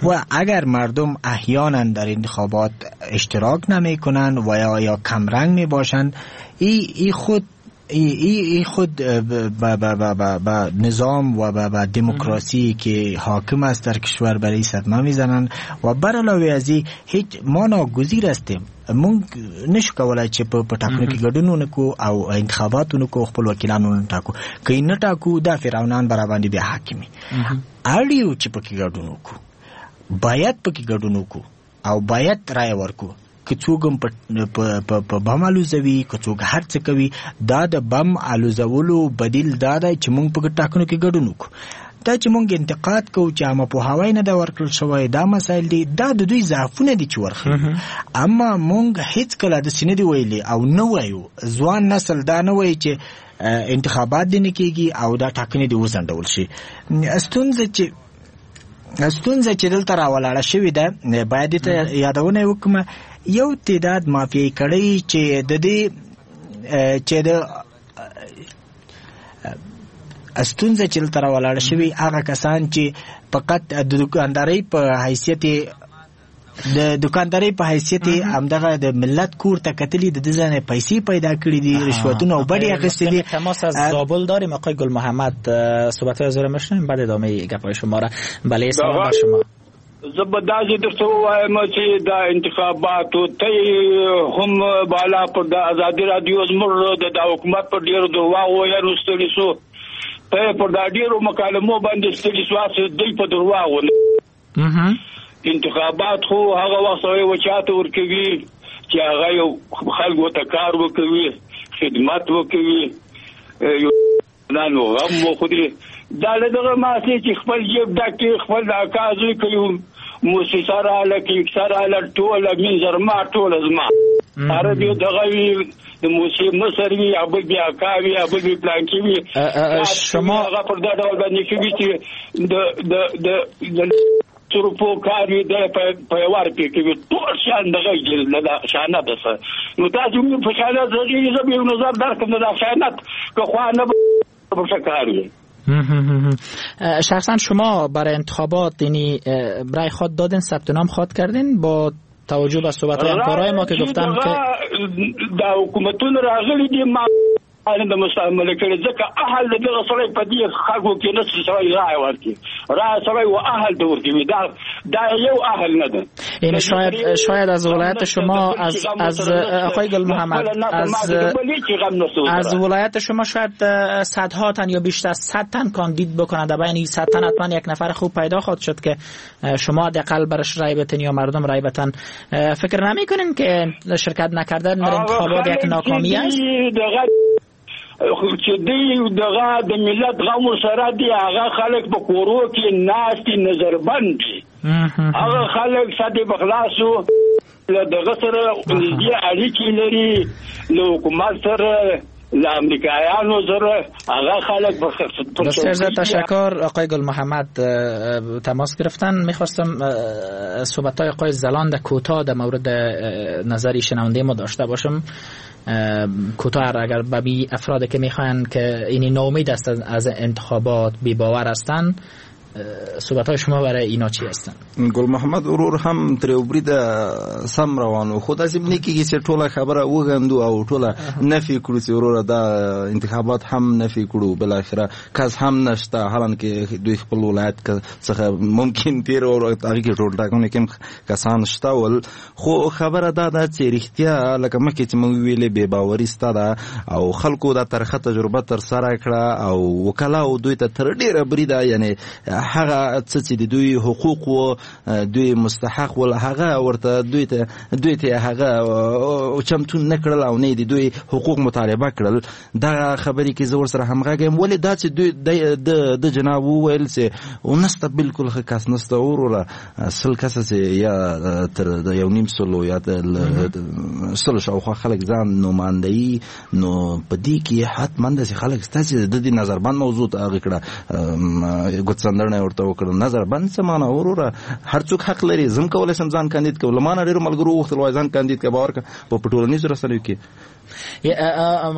و اگر مردم احیانا در انتخابات اشتراک نمیکنن و یا یا کمرنگ میباشن، ای ای خود ای ای خود با با با با نظام و با با دموکراسی که حاکم است در کشور برای صدمه میزنن. و بر علاوه از این هیچ ما ناگزیر هستیم، مونږ نشو کولای چې په ټاکنو کې ګډون ونکو او انتخابات ونکو، خپل وکیلان ونه ټاکو. که نه ټاکو دا فرعونان برا باندې بیا حاکمي. اړ یو چې پکې ګډون وکړو، باید پکې ګډون وکړو او باید رای ورکړو. که څوک هم په په بم الوزوي، که څوک هر څه کوي، دا د بم الوزولو بدیل دا دی چې مونږ په ټاکنو کې ګډون وکړو. دا چې مونږ انتقاد کوو چې عامه پوهاوی نه دی ورکړل شوی، دا مسایل دي، دا د دوی ضعفونه دي چې ورښیي. اما مونږ هیڅکله داسې نه دي ویلي او نه وایو، ځوان نسل دا نه وایي چې انتخابات دې نه کېږي او دا ټاکنې دې وځنډول شي. ستونزه چې ستونزه چې دلته راولاړه شوې ده، باید دې ته یادونه وکړم، یو تعداد مافیایي کړۍ چې د دې چې د ستونزه چې دلته راولاړه شوې، هغه کسان چې فقط د دکاندارۍ په حیثیت د دکاندارۍ په حیثیت همدغه د ملت کور ته کتلي، د دې ځای نه پیسې پیدا کړي دي، رشوتونه او بډې اخیستي دي. تماس از زابل داریم، آقای گل محمد صحبت‌های از او را میشنویم، بعد ادامه گپ‌های شما را. بله، سلام بر شما. زه به داسې درته ووایم چې دا انتخاباتو ته هم بالا پر د ازادي رادیو زموږ د دا حکومت پر ډېرو درواغو ویلو ستړي سو، ته پر دا ډېرو مکالمو باندې ستړي سو، هسې دوی په درواغو. انتخابات خو هغه وخت سړی و چاته ورکوي چې هغه یو خلکو ته کار وکوي، خدمت وکوي، یو نانو غم وخوري. دا له دغه ماسې چې خپل جیب ډک کړي، خپل د اکا زوی کوي، موسسه راله کیکسه راله، ټوله مینځر ما ټوله زما عرب یو دغه وي، د موسسې مصر وي، یا بل بیا اکا وي، یا بل بیا پلانکي وي. شما هغه پر دا ډول باندې کوي چې د د د د روپو کار وي، د په یو روپۍ کوي، ټول شیان دغه دي، دا خیانت ده. نو تاسو موږ په خیانت ځي، زه به یو نظر درکړم، دا خیانت که خو نه به کار وي. شخصا شما برای انتخابات یعنی رای خود دادین، ثبت نام خود کردین با توجه به صحبت همکارای ما که گفتن که دا حکومتونه راغلي دي ما د مستعمله کړي، ځکه اهل دغه سړی په دې خلکو کې نه څه سړی رای ورکړي، رای سړی و اهل ته ورکوي، دا دا یو اهل نه ده. یعنی شاید شاید از ولایت شما از از آقای گل محمد از از ولایت شما شاید صدها تن یا بیشتر از صد تن کاندید بکنند، در بین این صد تن حتما یک نفر خوب پیدا خواهد شد که شما حداقل برش رای بتن یا مردم رای بتن. فکر نمی‌کنین که شرکت نکردن در انتخابات یک ناکامی است؟ چې دوی دغه د ملت غم ورسره دي، هغه خلک په کورو کې ناست دي، نظربند دي، هغه خلک سدې به خلاصو له دغه سره نږدې اړیکې لري، له حکومت سره، له امریکایانو سره، هغه خلک. بسیار زیاد تشکر آقای گل محمد تماس گرفتن. میخواستم صحبت های آقای زلاند کوتاه در مورد نظری شنونده ما داشته باشم. کوتاه اگر به بی افراد که میخواین که اینی ناامید هستند از انتخابات، بی باور هستند، صحبت های شما برای اینا چی هستند؟ ګل محمد ورور هم تر یو بریده سم روان و، خو داسې نه کېږي چې ټوله خبره وغندو او ټوله نفي کړو چې وروره دا انتخابات هم نفي کړو، بالاخره کس هم نشته، حالانکه دوی خپل ولایت څخه ممکن تیر او هغې کې ټولټاکنو کې هم کسان شته ول. خو خبره دا ده چې رښتیا لکه مخکې چې موږ ویلې بې باوري سته ده او خلکو دا ترخه تجربه ترسره کړه او وکلاو دوی ته تر ډېره بریده یعنې هغه څه چې د دوی حقوق و دوی مستحق ول هغه ورته دوی ته دوی ته هغه چمتو نه کړل او نه د دوی حقوق مطالبه کړل. دا خبرې کې زه ورسره همغږی یم، ولې دا چې دوی د جناب وویل چې نسته بالکل ښه کس نسته وروره، سل کسه چې یا تر یو نیم سلو یا سلو شاوخوا خلک ځان نوماندوي، نو په دې کې حتما داسې خلک شته چې د دې نظربند موضوع ته هغه کړه ګوتڅنډنه ورته وکړه. نظربند څه معنا وروره؟ هر څوک حق لري، زه هم کولی شم ځان کاندید کړم، له ما نه ډېرو ملګرو وغوښتل وایي ځان کاندید کړه، باور کړه په ټولنیزو رسنیو کې.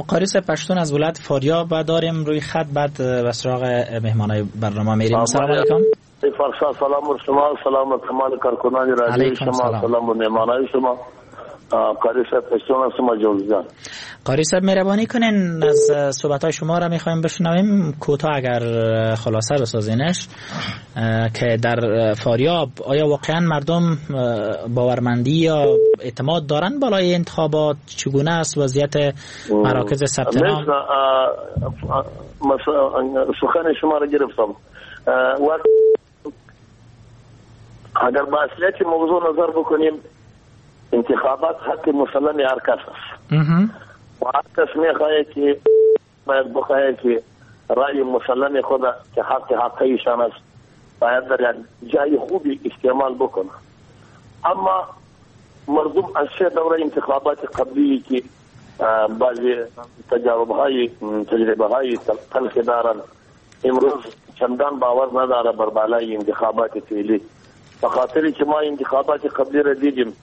قاری صاحب پشتون از ولایت فاریاب داریم روی خط، بعد به سراغ مهمانای برنامه میریم. سلام علیکم. فرشاد سلام بر شما، سلام بر تمام کارکنان رادیو شما، سلام بر مهمانای شما. قاری صاحب پشتون هستم از جوزجان. قاری صاحب مهربانی کنین از صحبت‌های شما را می‌خوایم بشنویم، کوتاه اگر خلاصه بسازینش، که در فاریاب آیا واقعا مردم باورمندی یا اعتماد دارن بالای انتخابات؟ چگونه است وضعیت مراکز ثبت نام؟ سخن شما را گرفتم. اگر با اصلیت موضوع نظر بکنیم، انتخابات حق مسلم هر کس است و هر کس میخواهد که باید بخواهد که رأی مسلم خود که حق حقیشان است باید در جای خوبی استعمال بکنه. اما مردم از سه دوره انتخابات قبلی که بعضی تجارب های تجربه های تلخ دارند، امروز چندان باور نداره بر بالای انتخابات فعلی، بخاطر که ما انتخابات قبلی را دیدیم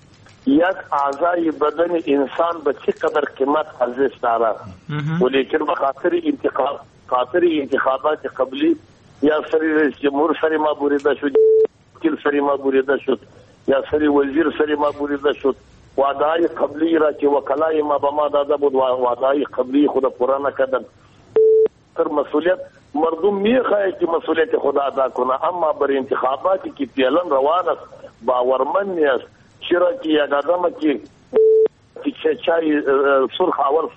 یک اعضای بدن انسان به چقدر قیمت ارزش دارد، ولیکن به خاطر انتخاب خاطر انتخابات قبلی یا سری رئیس جمهور سری ما بریده شد، وکیل سری ما بریده شد، یا سری وزیر سری ما بریده شد. وعده قبلی را که وکلای ما به ما داده بود وعده قبلی خود پورا نکردن. تر مسئولیت مردم میخواهد که مسئولیت خود ادا کنه، اما بر انتخاباتی که فعلا روان است باورمند نیست. چرا که یک آدم که چای سرخ اول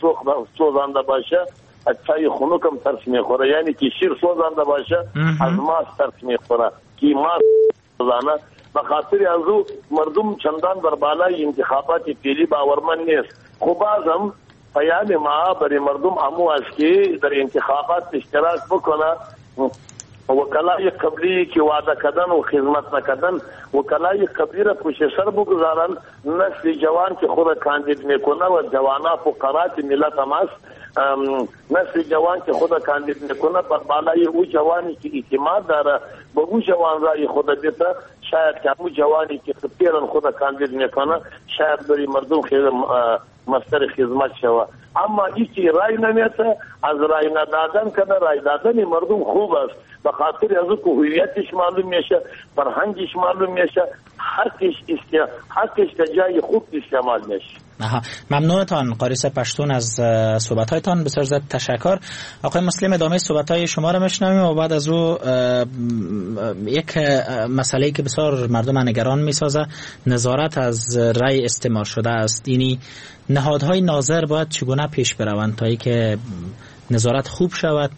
سوزانده باشه از چای خنک هم ترس میخوره، یعنی که شیر سوزانده باشه از ماست ترس میخوره که ماست سوزانه. به خاطر از او مردم چندان بر بالای انتخابات فعلی باورمند نیست. خب بازم پیام ما برای مردم امو است که در انتخابات اشتراک بکنه، وکلای قبلی که وعده کردن و خدمت نکردن، وکلای قبلی را پشت سر بگذارن. نسل جوان که خود کاندید میکنه و جوانا فقرات ملت هم است، نسل جوان که خود کاندید میکنه بر بالای او جوانی که اعتماد داره به او جوان رای خود بده، شاید که او جوانی که پیرن خود کاندید میکنه شاید برای مردم خیلی مستر خدمت شوه. اما ایکی رای نمیته، از رای ندادن که رای دادن مردم خوب است، به خاطر از او که هویتش معلوم میشه، فرهنگش معلوم میشه، حقش است، حقش در جای خوب استعمال میشه. آها، ممنونتان قاری صاحب پشتون از صحبت‌هایتان، بسیار زیاد تشکر. آقای مسلم ادامه صحبت‌های شما را میشنویم و بعد از او یک مسئله که بسیار مردم نگران میسازه، نظارت از رأی استعمال شده است. یعنی نهادهای ناظر باید چگونه پیش بروند تا اینکه نظارت خوب شود،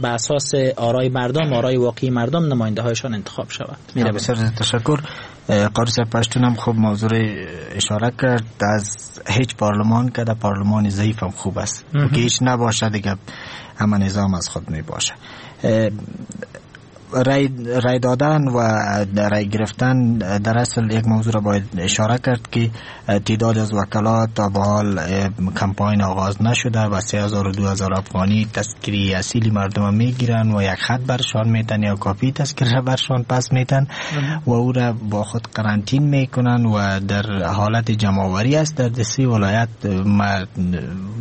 به اساس آرای مردم، آرای واقعی مردم نماینده هایشان انتخاب شود. بسیار تشکر. قاری صاحب پشتون هم خوب موضوع اشاره کرد. از هیچ پارلمان که در پارلمان ضعیف هم خوب است که هیچ نباشه دیگه همه نظام از خود می باشه. رای, رای دادن و رای گرفتن در اصل یک موضوع را باید اشاره کرد که تعداد از وکلا تا به حال کمپاین آغاز نشده و سه هزار و دو هزار افغانی تذکری اصیل مردم میگیرن و یک خط برشان میتن یا کاپی تذکره برشان پس میتن و او را با خود قرنطین میکنن و در حالت جمع‌آوری است. در سه ولایت ما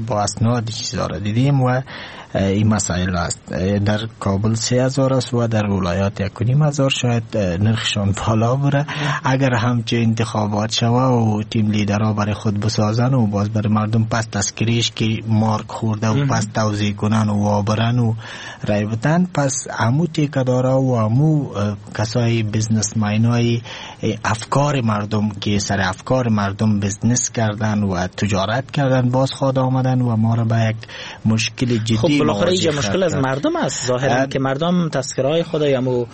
با اسناد چیزا را دیدیم و این مسائل است. در کابل سه هزار است و در ولایات یک و نیم هزار، شاید نرخشان بالا بره. اگر همچه انتخابات شوه و تیم لیدرها برای خود بسازن و باز برای مردم پس تذکریش که مارک خورده و پس توزیع کنن و وابرن و رای بتن، پس همو تیکدارا و همو کسای businessman های افکار مردم که سر افکار مردم business کردن و تجارت کردن باز خود آمدن و ما را به یک مشکل جدی. خب بالاخره اینجا مشکل از مردم است ظاهرا که مردم تذکرهای خود یا مو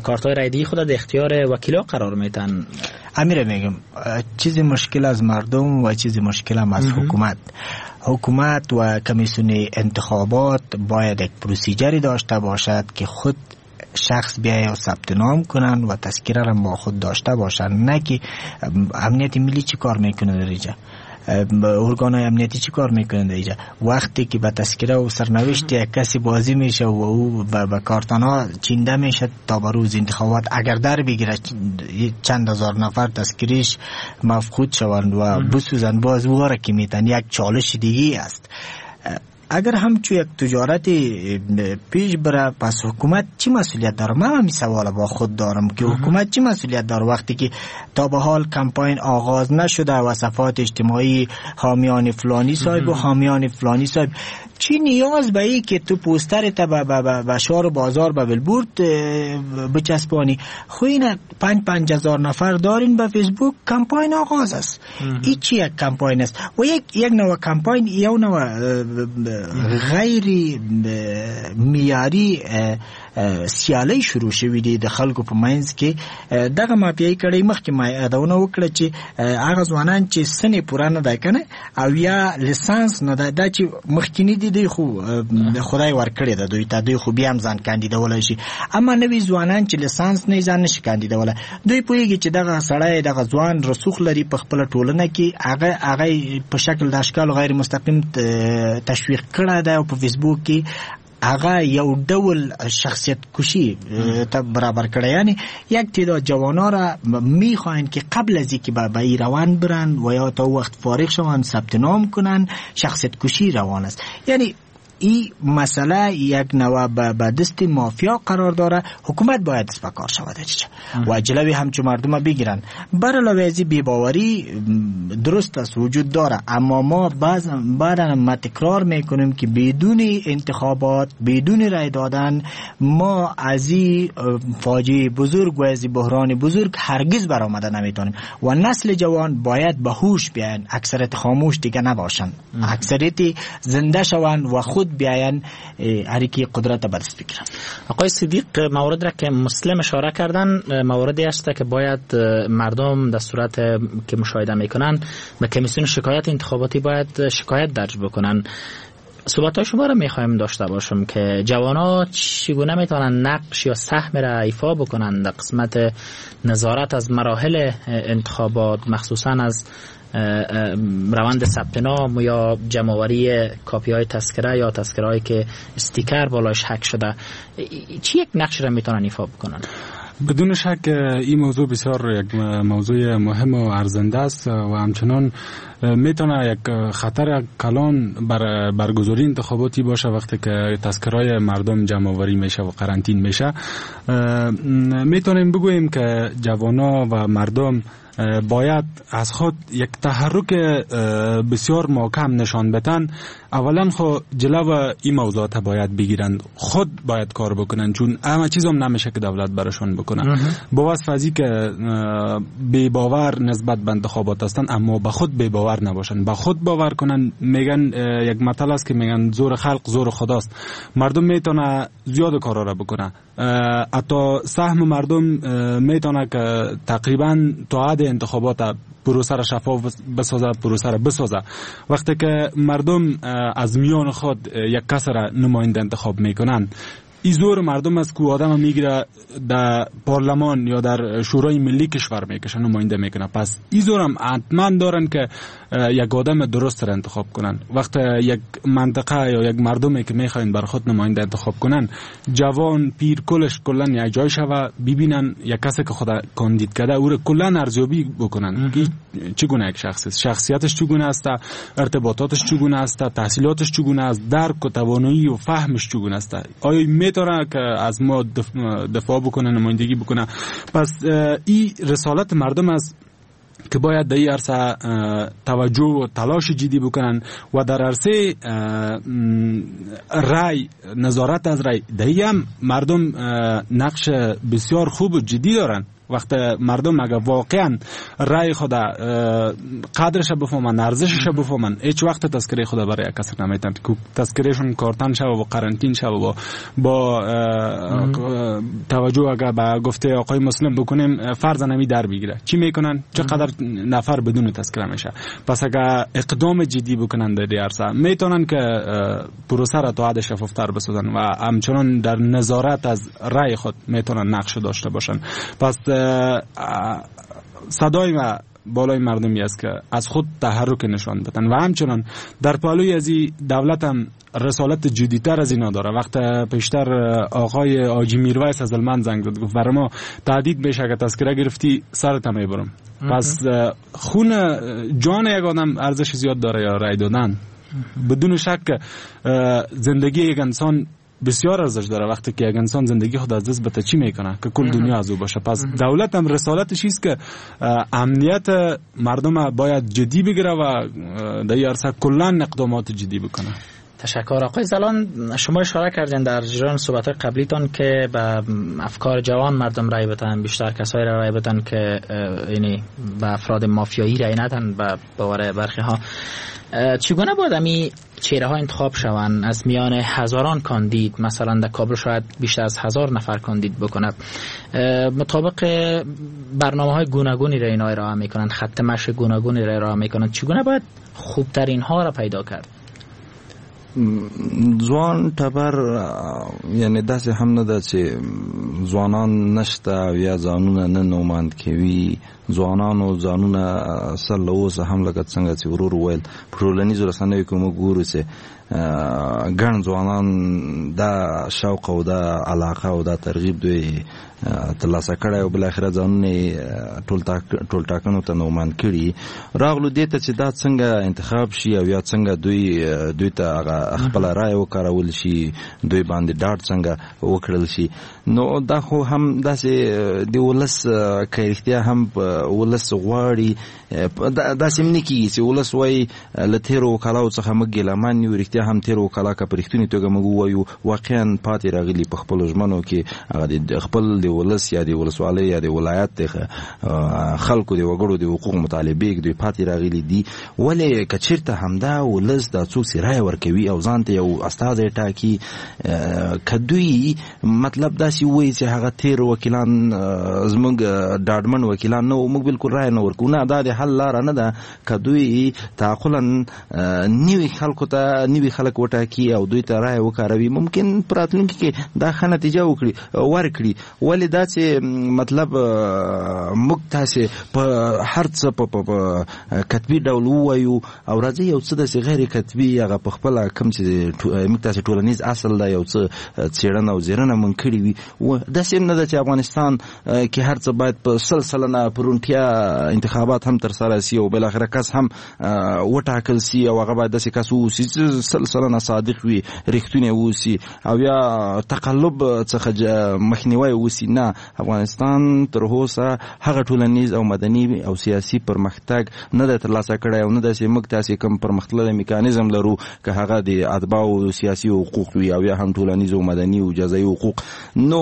کارت‌های رایدی خود در اختیار وکیلا قرار میتن. امیر میگم چیز مشکل از مردم و چیز مشکل هم از حکومت. حکومت و کمیسیون انتخابات باید یک procedure ی داشته باشد که خود شخص بیای و ثبت نام کنن و تذکره را با خود داشته باشن، نه که امنیت ملی چی کار میکنه در اینجا، ارگان های امنیتی چی کار میکنند اینجا. وقتی که به تذکره و سرنوشت یک کسی بازی میشه و او به کارتان ها چینده میشه تا به روز انتخابات اگر در بگیره چند هزار نفر تذکریش مفقود شوند و بسوزند، باز او را که میتن یک چالش دیگه است. اگر همچو یک تجارت پیش بره پس حکومت چی مسئولیت داره؟ من همین سوال با خود دارم که حکومت چی مسئولیت داره وقتی که تا به حال کمپاین آغاز نشده و صفحات اجتماعی حامیان فلانی صاحب و حامیان فلانی صاحب، چی نیاز به ای که تو پوستر تا به شهر بازار به بلبورد بچسبانی؟ خو این پنج پنج هزار نفر دارین به فیسبوک، کمپاین آغاز است. این چی یک کمپاین است و یک یک نوع کمپاین یا نوع غیر معیاري سیالۍ شروع شوې دي د خلکو په منځ کې. دغه مافیایي کړۍ مخکې ما یادونه وکړه چې هغه ځوانان چې سن یې پوره نه دی که نه او یا لیسانس نه دی، دا چې مخکیني دي دوی خو خدای ورکړې ده دوی ته، دوی خو بیا هم ځان کاندیدولی شي، اما نوي ځوانان چې لیسانس نه ځان نشي کاندیدولی. دوی پوهېږي چې دغه سړی دغه ځوان رسوخ لري په خپله ټولنه کې، هغه هغه په شکل د اشکالو غیر مستقیم تشویق کړی دی او په فیسبوک کې هغه یو ډول شخصیت کشی ته برابر کړی. یعنی یک تعداد جوانان را میخواهند که قبل از اینکه به این روند برن و یا تا وقت فارغ شوند ثبت نام کنن، شخصیت کشی روان است. یعنی این مسئله یک نوع به دست مافیا قرار داره. حکومت باید دست به کار شود و جلوی همچو مردم بگیرن. بر علاوه از بی‌باوری درست است وجود داره، اما ما باز بعدا ما تکرار میکنیم که بدون انتخابات، بدون رای دادن، ما از این فاجعه بزرگ و از این بحران بزرگ هرگز برآمده نمیتونیم و نسل جوان باید به هوش بیاین، اکثریت خاموش دیگه نباشن، اکثریت زنده شوند و خود بیاین هر کی قدرت به دست بگیرن. آقای صدیق، مورد را که مسلم اشاره کردن موردی است که باید مردم در صورت که مشاهده میکنن به کمیسیون شکایت انتخاباتی باید شکایت درج بکنن. صحبت شما را میخوایم داشته باشم که جوان‌ها چگونه میتونن نقش یا سهم را ایفا بکنن در قسمت نظارت از مراحل انتخابات، مخصوصا از روند ثبت نام یا جمع‌آوری کاپی‌های تذکره یا تذکره‌ای که استیکر بالایش حک شده، چی یک نقش را میتونن ایفا بکنن؟ بدون شک این موضوع بسیار یک موضوع مهم و ارزنده است و همچنان میتونه یک خطر کلان بر برگزاری انتخاباتی باشه وقتی که تذکرهای مردم جمع آوری میشه و قرنطین میشه. میتونیم بگوییم که جوانا و مردم باید از خود یک تحرک بسیار محکم نشان بدن. اولا خو جلو این موضوعات باید بگیرند، خود باید کار بکنن، چون همه چیز هم نمیشه که دولت براشون بکنه. با وصف از که بی باور نسبت به انتخابات هستن، اما به خود بی باور نباشن، به خود باور کنن. میگن یک مثل است که میگن زور خلق زور خداست. مردم میتونه زیاد کارا را بکنه، حتی سهم مردم میتونه که تقریبا تا حد انتخابات پروسه را شفاف بسازه، پروسه را بسازه. وقتی که مردم از میان خود یک کس را نماینده انتخاب میکنن، این زور مردم است که آدم میگیره در پارلمان یا در شورای ملی کشور میکشه، نماینده میکنه. پس این زور هم حتما دارن که یک آدم درست را انتخاب کنن. وقت یک منطقه یا یک مردمی که میخواین بر خود نماینده انتخاب کنن، جوان پیر کلش کلا یک جای شوه، ببینن یک کسی که خود کاندید کرده او را کلا ارزیابی بکنن که چگونه یک شخص است، شخصیتش چگونه است، ارتباطاتش چگونه است، تحصیلاتش چگونه است، درک و توانایی و فهمش چگونه است، آیا میتونه که از ما دفاع بکنه، نمایندگی بکنه. پس این رسالت مردم است که باید در این عرصه توجه و تلاش جدی بکنن و در عرصه رای، نظارت از رای، در هم مردم نقش بسیار خوب و جدی دارن. وقت مردم اگر واقعا رای خود قدرش بفهمن، ارزشش بفهمن، هیچ وقت تذکره خود برای کسی نمیتن که تذکرهشون کارتن شوه و قرنطین شوه و با توجه اگر به گفته آقای مسلم بکنیم فرض نمی در بگیره چی میکنن، چقدر نفر بدون تذکره میشه. پس اگر اقدام جدی بکنن در عرصه، میتونن که پروسه را تا حد شفافتر بسازن و همچنان در نظارت از رای خود میتونن نقش داشته باشن. پس صدای ما بالای مردمی است که از خود تحرک نشان بدن و همچنان در پالوی از این دولت هم رسالت جدی‌تر از اینا داره. وقت پیشتر آقای آجی میرویس از المن زنگ زد، گفت برای ما تهدید بشه اگه تذکره گرفتی سرت میبرم. پس خون جان یک آدم ارزش زیاد داره یا رای دادن. بدون شک زندگی یک انسان بسیار ارزش داره. وقتی که یک انسان زندگی خود از دست بده چی میکنه که کل دنیا از او باشه. پس دولت هم رسالتش است که امنیت مردم باید جدی بگیره و در این عرصه کلا اقدامات جدی بکنه. تشکر. آقای زلان، شما اشاره کردین در جریان صحبت‌های قبلیتان که به افکار جوان مردم رای بدن، بیشتر کسایی را رای بدن که یعنی به افراد مافیایی رای ندن به باور برخی ها. چگونه باید امی چهره ها انتخاب شوند از میان هزاران کاندید؟ مثلا در کابل شاید بیشتر از هزار نفر کاندید بکند. مطابق برنامه های گوناگونی را اینا ارائه میکنند، خط مشی گوناگونی را ارائه میکنند. چگونه باید خوبترین ها را پیدا کرد؟ ځوان ټبر یعنی داسې هم نه ده چې ځوانان نشته او یا ځانونه نه نوماند کوي. ځوانانو ځانونه سر له اوسه هم لکه څنګه چې ورور وویل په ټولنیزو رسنیو کې موږ ګورو چې ګڼ ځوانان دا شوق او دا علاقه او دا ترغیب دوی ترلاسه کړی او بالاخره ځانونه ټول ټاکنو ته نوماند کړي. راغلو دې ته چې دا څنګه انتخاب شي او یا څنګه دوی دوی ته هغه خپله رایه وکارول شي، دوی باندې ډاډ څنګه وکړل شي. نو دا خو هم داسې د ولس که رښتیا هم ولس غواړي داسې هم نه کېږي چې ولس وایي له تېرو وکلاو څخه موږ ګیلهمن یو. رښتیا هم تېرو وکلا که په رښتوني توګه موږ ووایو واقعا پاتې راغلي په خپلو ژمنو کې، هغه د خپل د ولس یا د ولسوالۍ یا د ولایت د خلکو د وګړو د حقوق مطالبې دوی پاتې راغلي دي. ولې که چېرته همدا ولس دا څوک چې رایه ورکوي او ځان ته یو استازی ټاکي، که دوی مطلب داسې داسې ووایي چې هغه تیر وکیلان زموږ ډاډمن وکیلان نه وو، موږ بالکل رایه نه ورکوو. نه، دا د حل لاره نه ده. که دوی تعقلا نوي خلکو ته نوي خلک وټاکي او دوی ته رایه وکاروي، ممکن په راتلونکي کې دا ښه نتیجه وکړي ورکړي. ولې دا چې مطلب موږ تاسې په هر څه په کتبي ډول ووایو او راځي یو څه داسې غیر کتبي هغه په خپله کوم چې موږ تاسې ټولنیز اصل دی یو څه څېړنه او ځیرنه مونږ کړې وي. داسې هم نه ده چې افغانستان کې هر څه باید په سل سلنه په روڼتیا انتخابات هم ترسره سي او بالاخره کس هم وټاکل سي او هغه باید داسې کس واوسي چې سل سلنه صادق وي، رښتونی واوسي او یا تقلب څخه مخنیوی وسي. نه، افغانستان تر اوسه هغه ټولنیز او مدني او سیاسي پرمختګ نه دی ترلاسه کړی او نه داسې موږ تاسې کوم پرمختللی میکانیزم لرو که هغه د اتباعو سیاسي حقوق وي او یا هم ټولنیز او مدني او جزایي حقوق. نو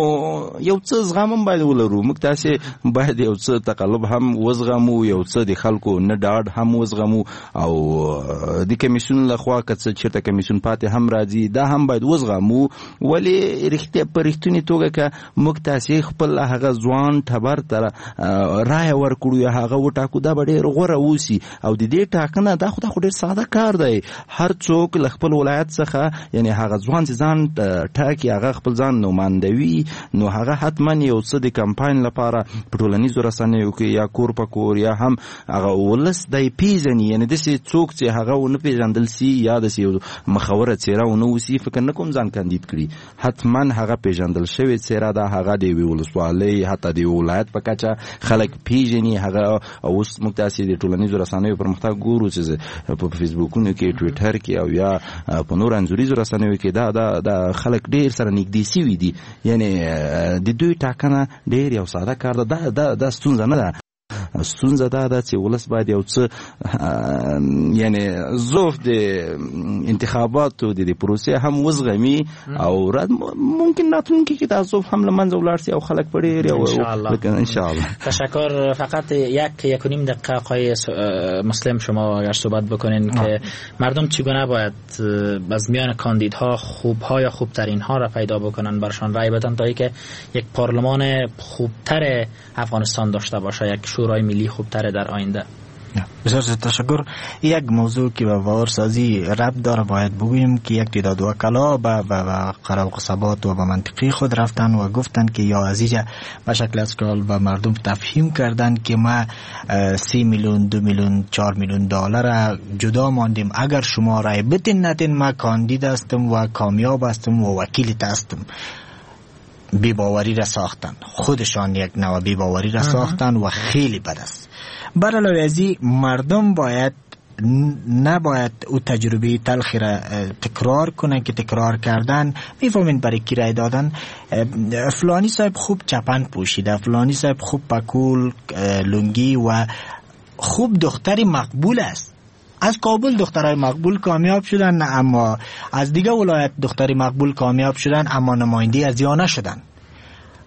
یو څه زغم هم باید ولرو، موږ تاسې باید یو څه تقلب هم وزغمو، یو څه د خلکو نه ډاډ هم وزغمو او د کمیسیون لخوا که څه چېرته کمیسیون پاتې هم راځي دا هم باید وزغمو. ولې رښتیا په رښتوني توګه که موږ تاسې خپل هغه ځوان ټبر ته رایه ورکړو یا هغه وټاکو دا به ډېر غوره اوسي. او د دې ټاکنه دا خو دا خو ډېر ساده کار دی. هر څوک له خپل ولایت څخه یعنی هغه ځوان چې ځان ټاکي هغه خپل ځان نوماندوي، نو هغه حتما یو څه د کمپاین لپاره په ټولنیزو رسنیو کې یا کور په کور یا هم هغه ولس دی پیژني. یعنی داسې څوک چې هغه ونه پیژندل سي یا داسې یو مخوره څېره ونه اوسي فکر نه کوم ځان کاندید کړي. حتما هغه پیژندل شوې څېره ده، هغه د یوې ولسوالۍ حتی د یو ولایت په کچه خلک پیژني. هغه اوس موږ تاسې د ټولنیزو رسنیو پرمختګ ګورو چې په فیسبوکونو کې، ټویټر کې او یا په نور انځوریزو رسنیو کې دا دا دا خلک ډېر سره نږدې سوي دي. یعنی د دوی ټاکنه ډېر یو ساده کار ده، دا دا دا ستونزه نه ده. ستونزه دا ده چې ولس باید یو څه یعنی ضعف د انتخاباتو د دې پروسې هم وزغمي او ممکن راتلونکي کې دا ضعف هم له منځه ولاړ سي او خلک په ډېر یو ان شاء الله. تشکر. فقط یک یک و نیم دقیقه آقای مسلم شما اگر صحبت بکنین که مردم چگونه باید از میان کاندیدها خوبها یا خوبترین ها را پیدا بکنن، برشان رای بدن تا اینکه یک پارلمان خوبتر افغانستان داشته باشه، یک شورای ملی خوبتر در آینده. بسیار تشکر. یک موضوع که به باورسازی ربط داره باید بگوییم که یک تعداد وکلا به قرار قصبات و به منطقی خود رفتن و گفتن که یا عزیزه به شکل اسکال به مردم تفهیم کردن که ما سی میلیون، دو میلیون، چهار میلیون دلار جدا ماندیم، اگر شما رای بتین نتین ما کاندید هستم و کامیاب هستم و وکیل هستم. بی‌باوری را ساختن، خودشان یک نوع بی‌باوری را ساختن و خیلی بد است. بر علاوه از این مردم باید نباید او تجربه تلخی را تکرار کنن که تکرار کردن میفهمین برای کی رای دادن. فلانی صاحب خوب چپن پوشیده، فلانی صاحب خوب پکول لنگی و خوب دختری مقبول است. از کابل دخترای مقبول کامیاب شدن، اما از دیگه ولایت دختری مقبول کامیاب شدن اما نماینده از یا نشدن.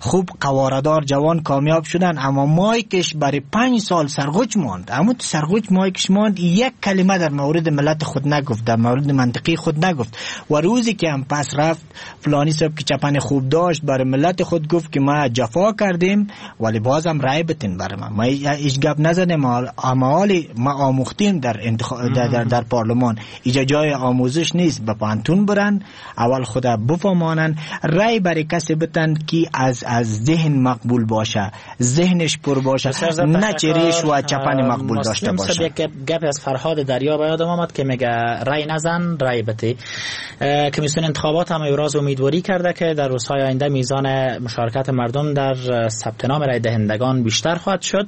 خوب قواردار جوان کامیاب شدن اما مایکش برای پنج سال سرغوچ ماند. اما تو سرغوچ مایکش ماند، یک کلمه در مورد ملت خود نگفت، در مورد منطقی خود نگفت. و روزی که هم پس رفت فلانی صاحب که چپن خوب داشت برای ملت خود گفت که ما جفا کردیم ولی بازم رای بتین برای ما، ما هیچ گپ نزدیم، اما ما آموختیم در, انتخ... در, در, در پارلمان. اینجا جای آموزش نیست، به پانتون برن اول خود بفهمانن، رای برای کسی بتن که از از ذهن مقبول باشه، ذهنش پر باشه، نه چریش و چپن مقبول داشته باشه. یک گپ از فرهاد دریا به یادم آمد که میگه رای نزن رای بده. کمیسیون انتخابات هم ابراز امیدواری کرده که در روزهای آینده میزان مشارکت مردم در ثبت نام رای دهندگان بیشتر خواهد شد.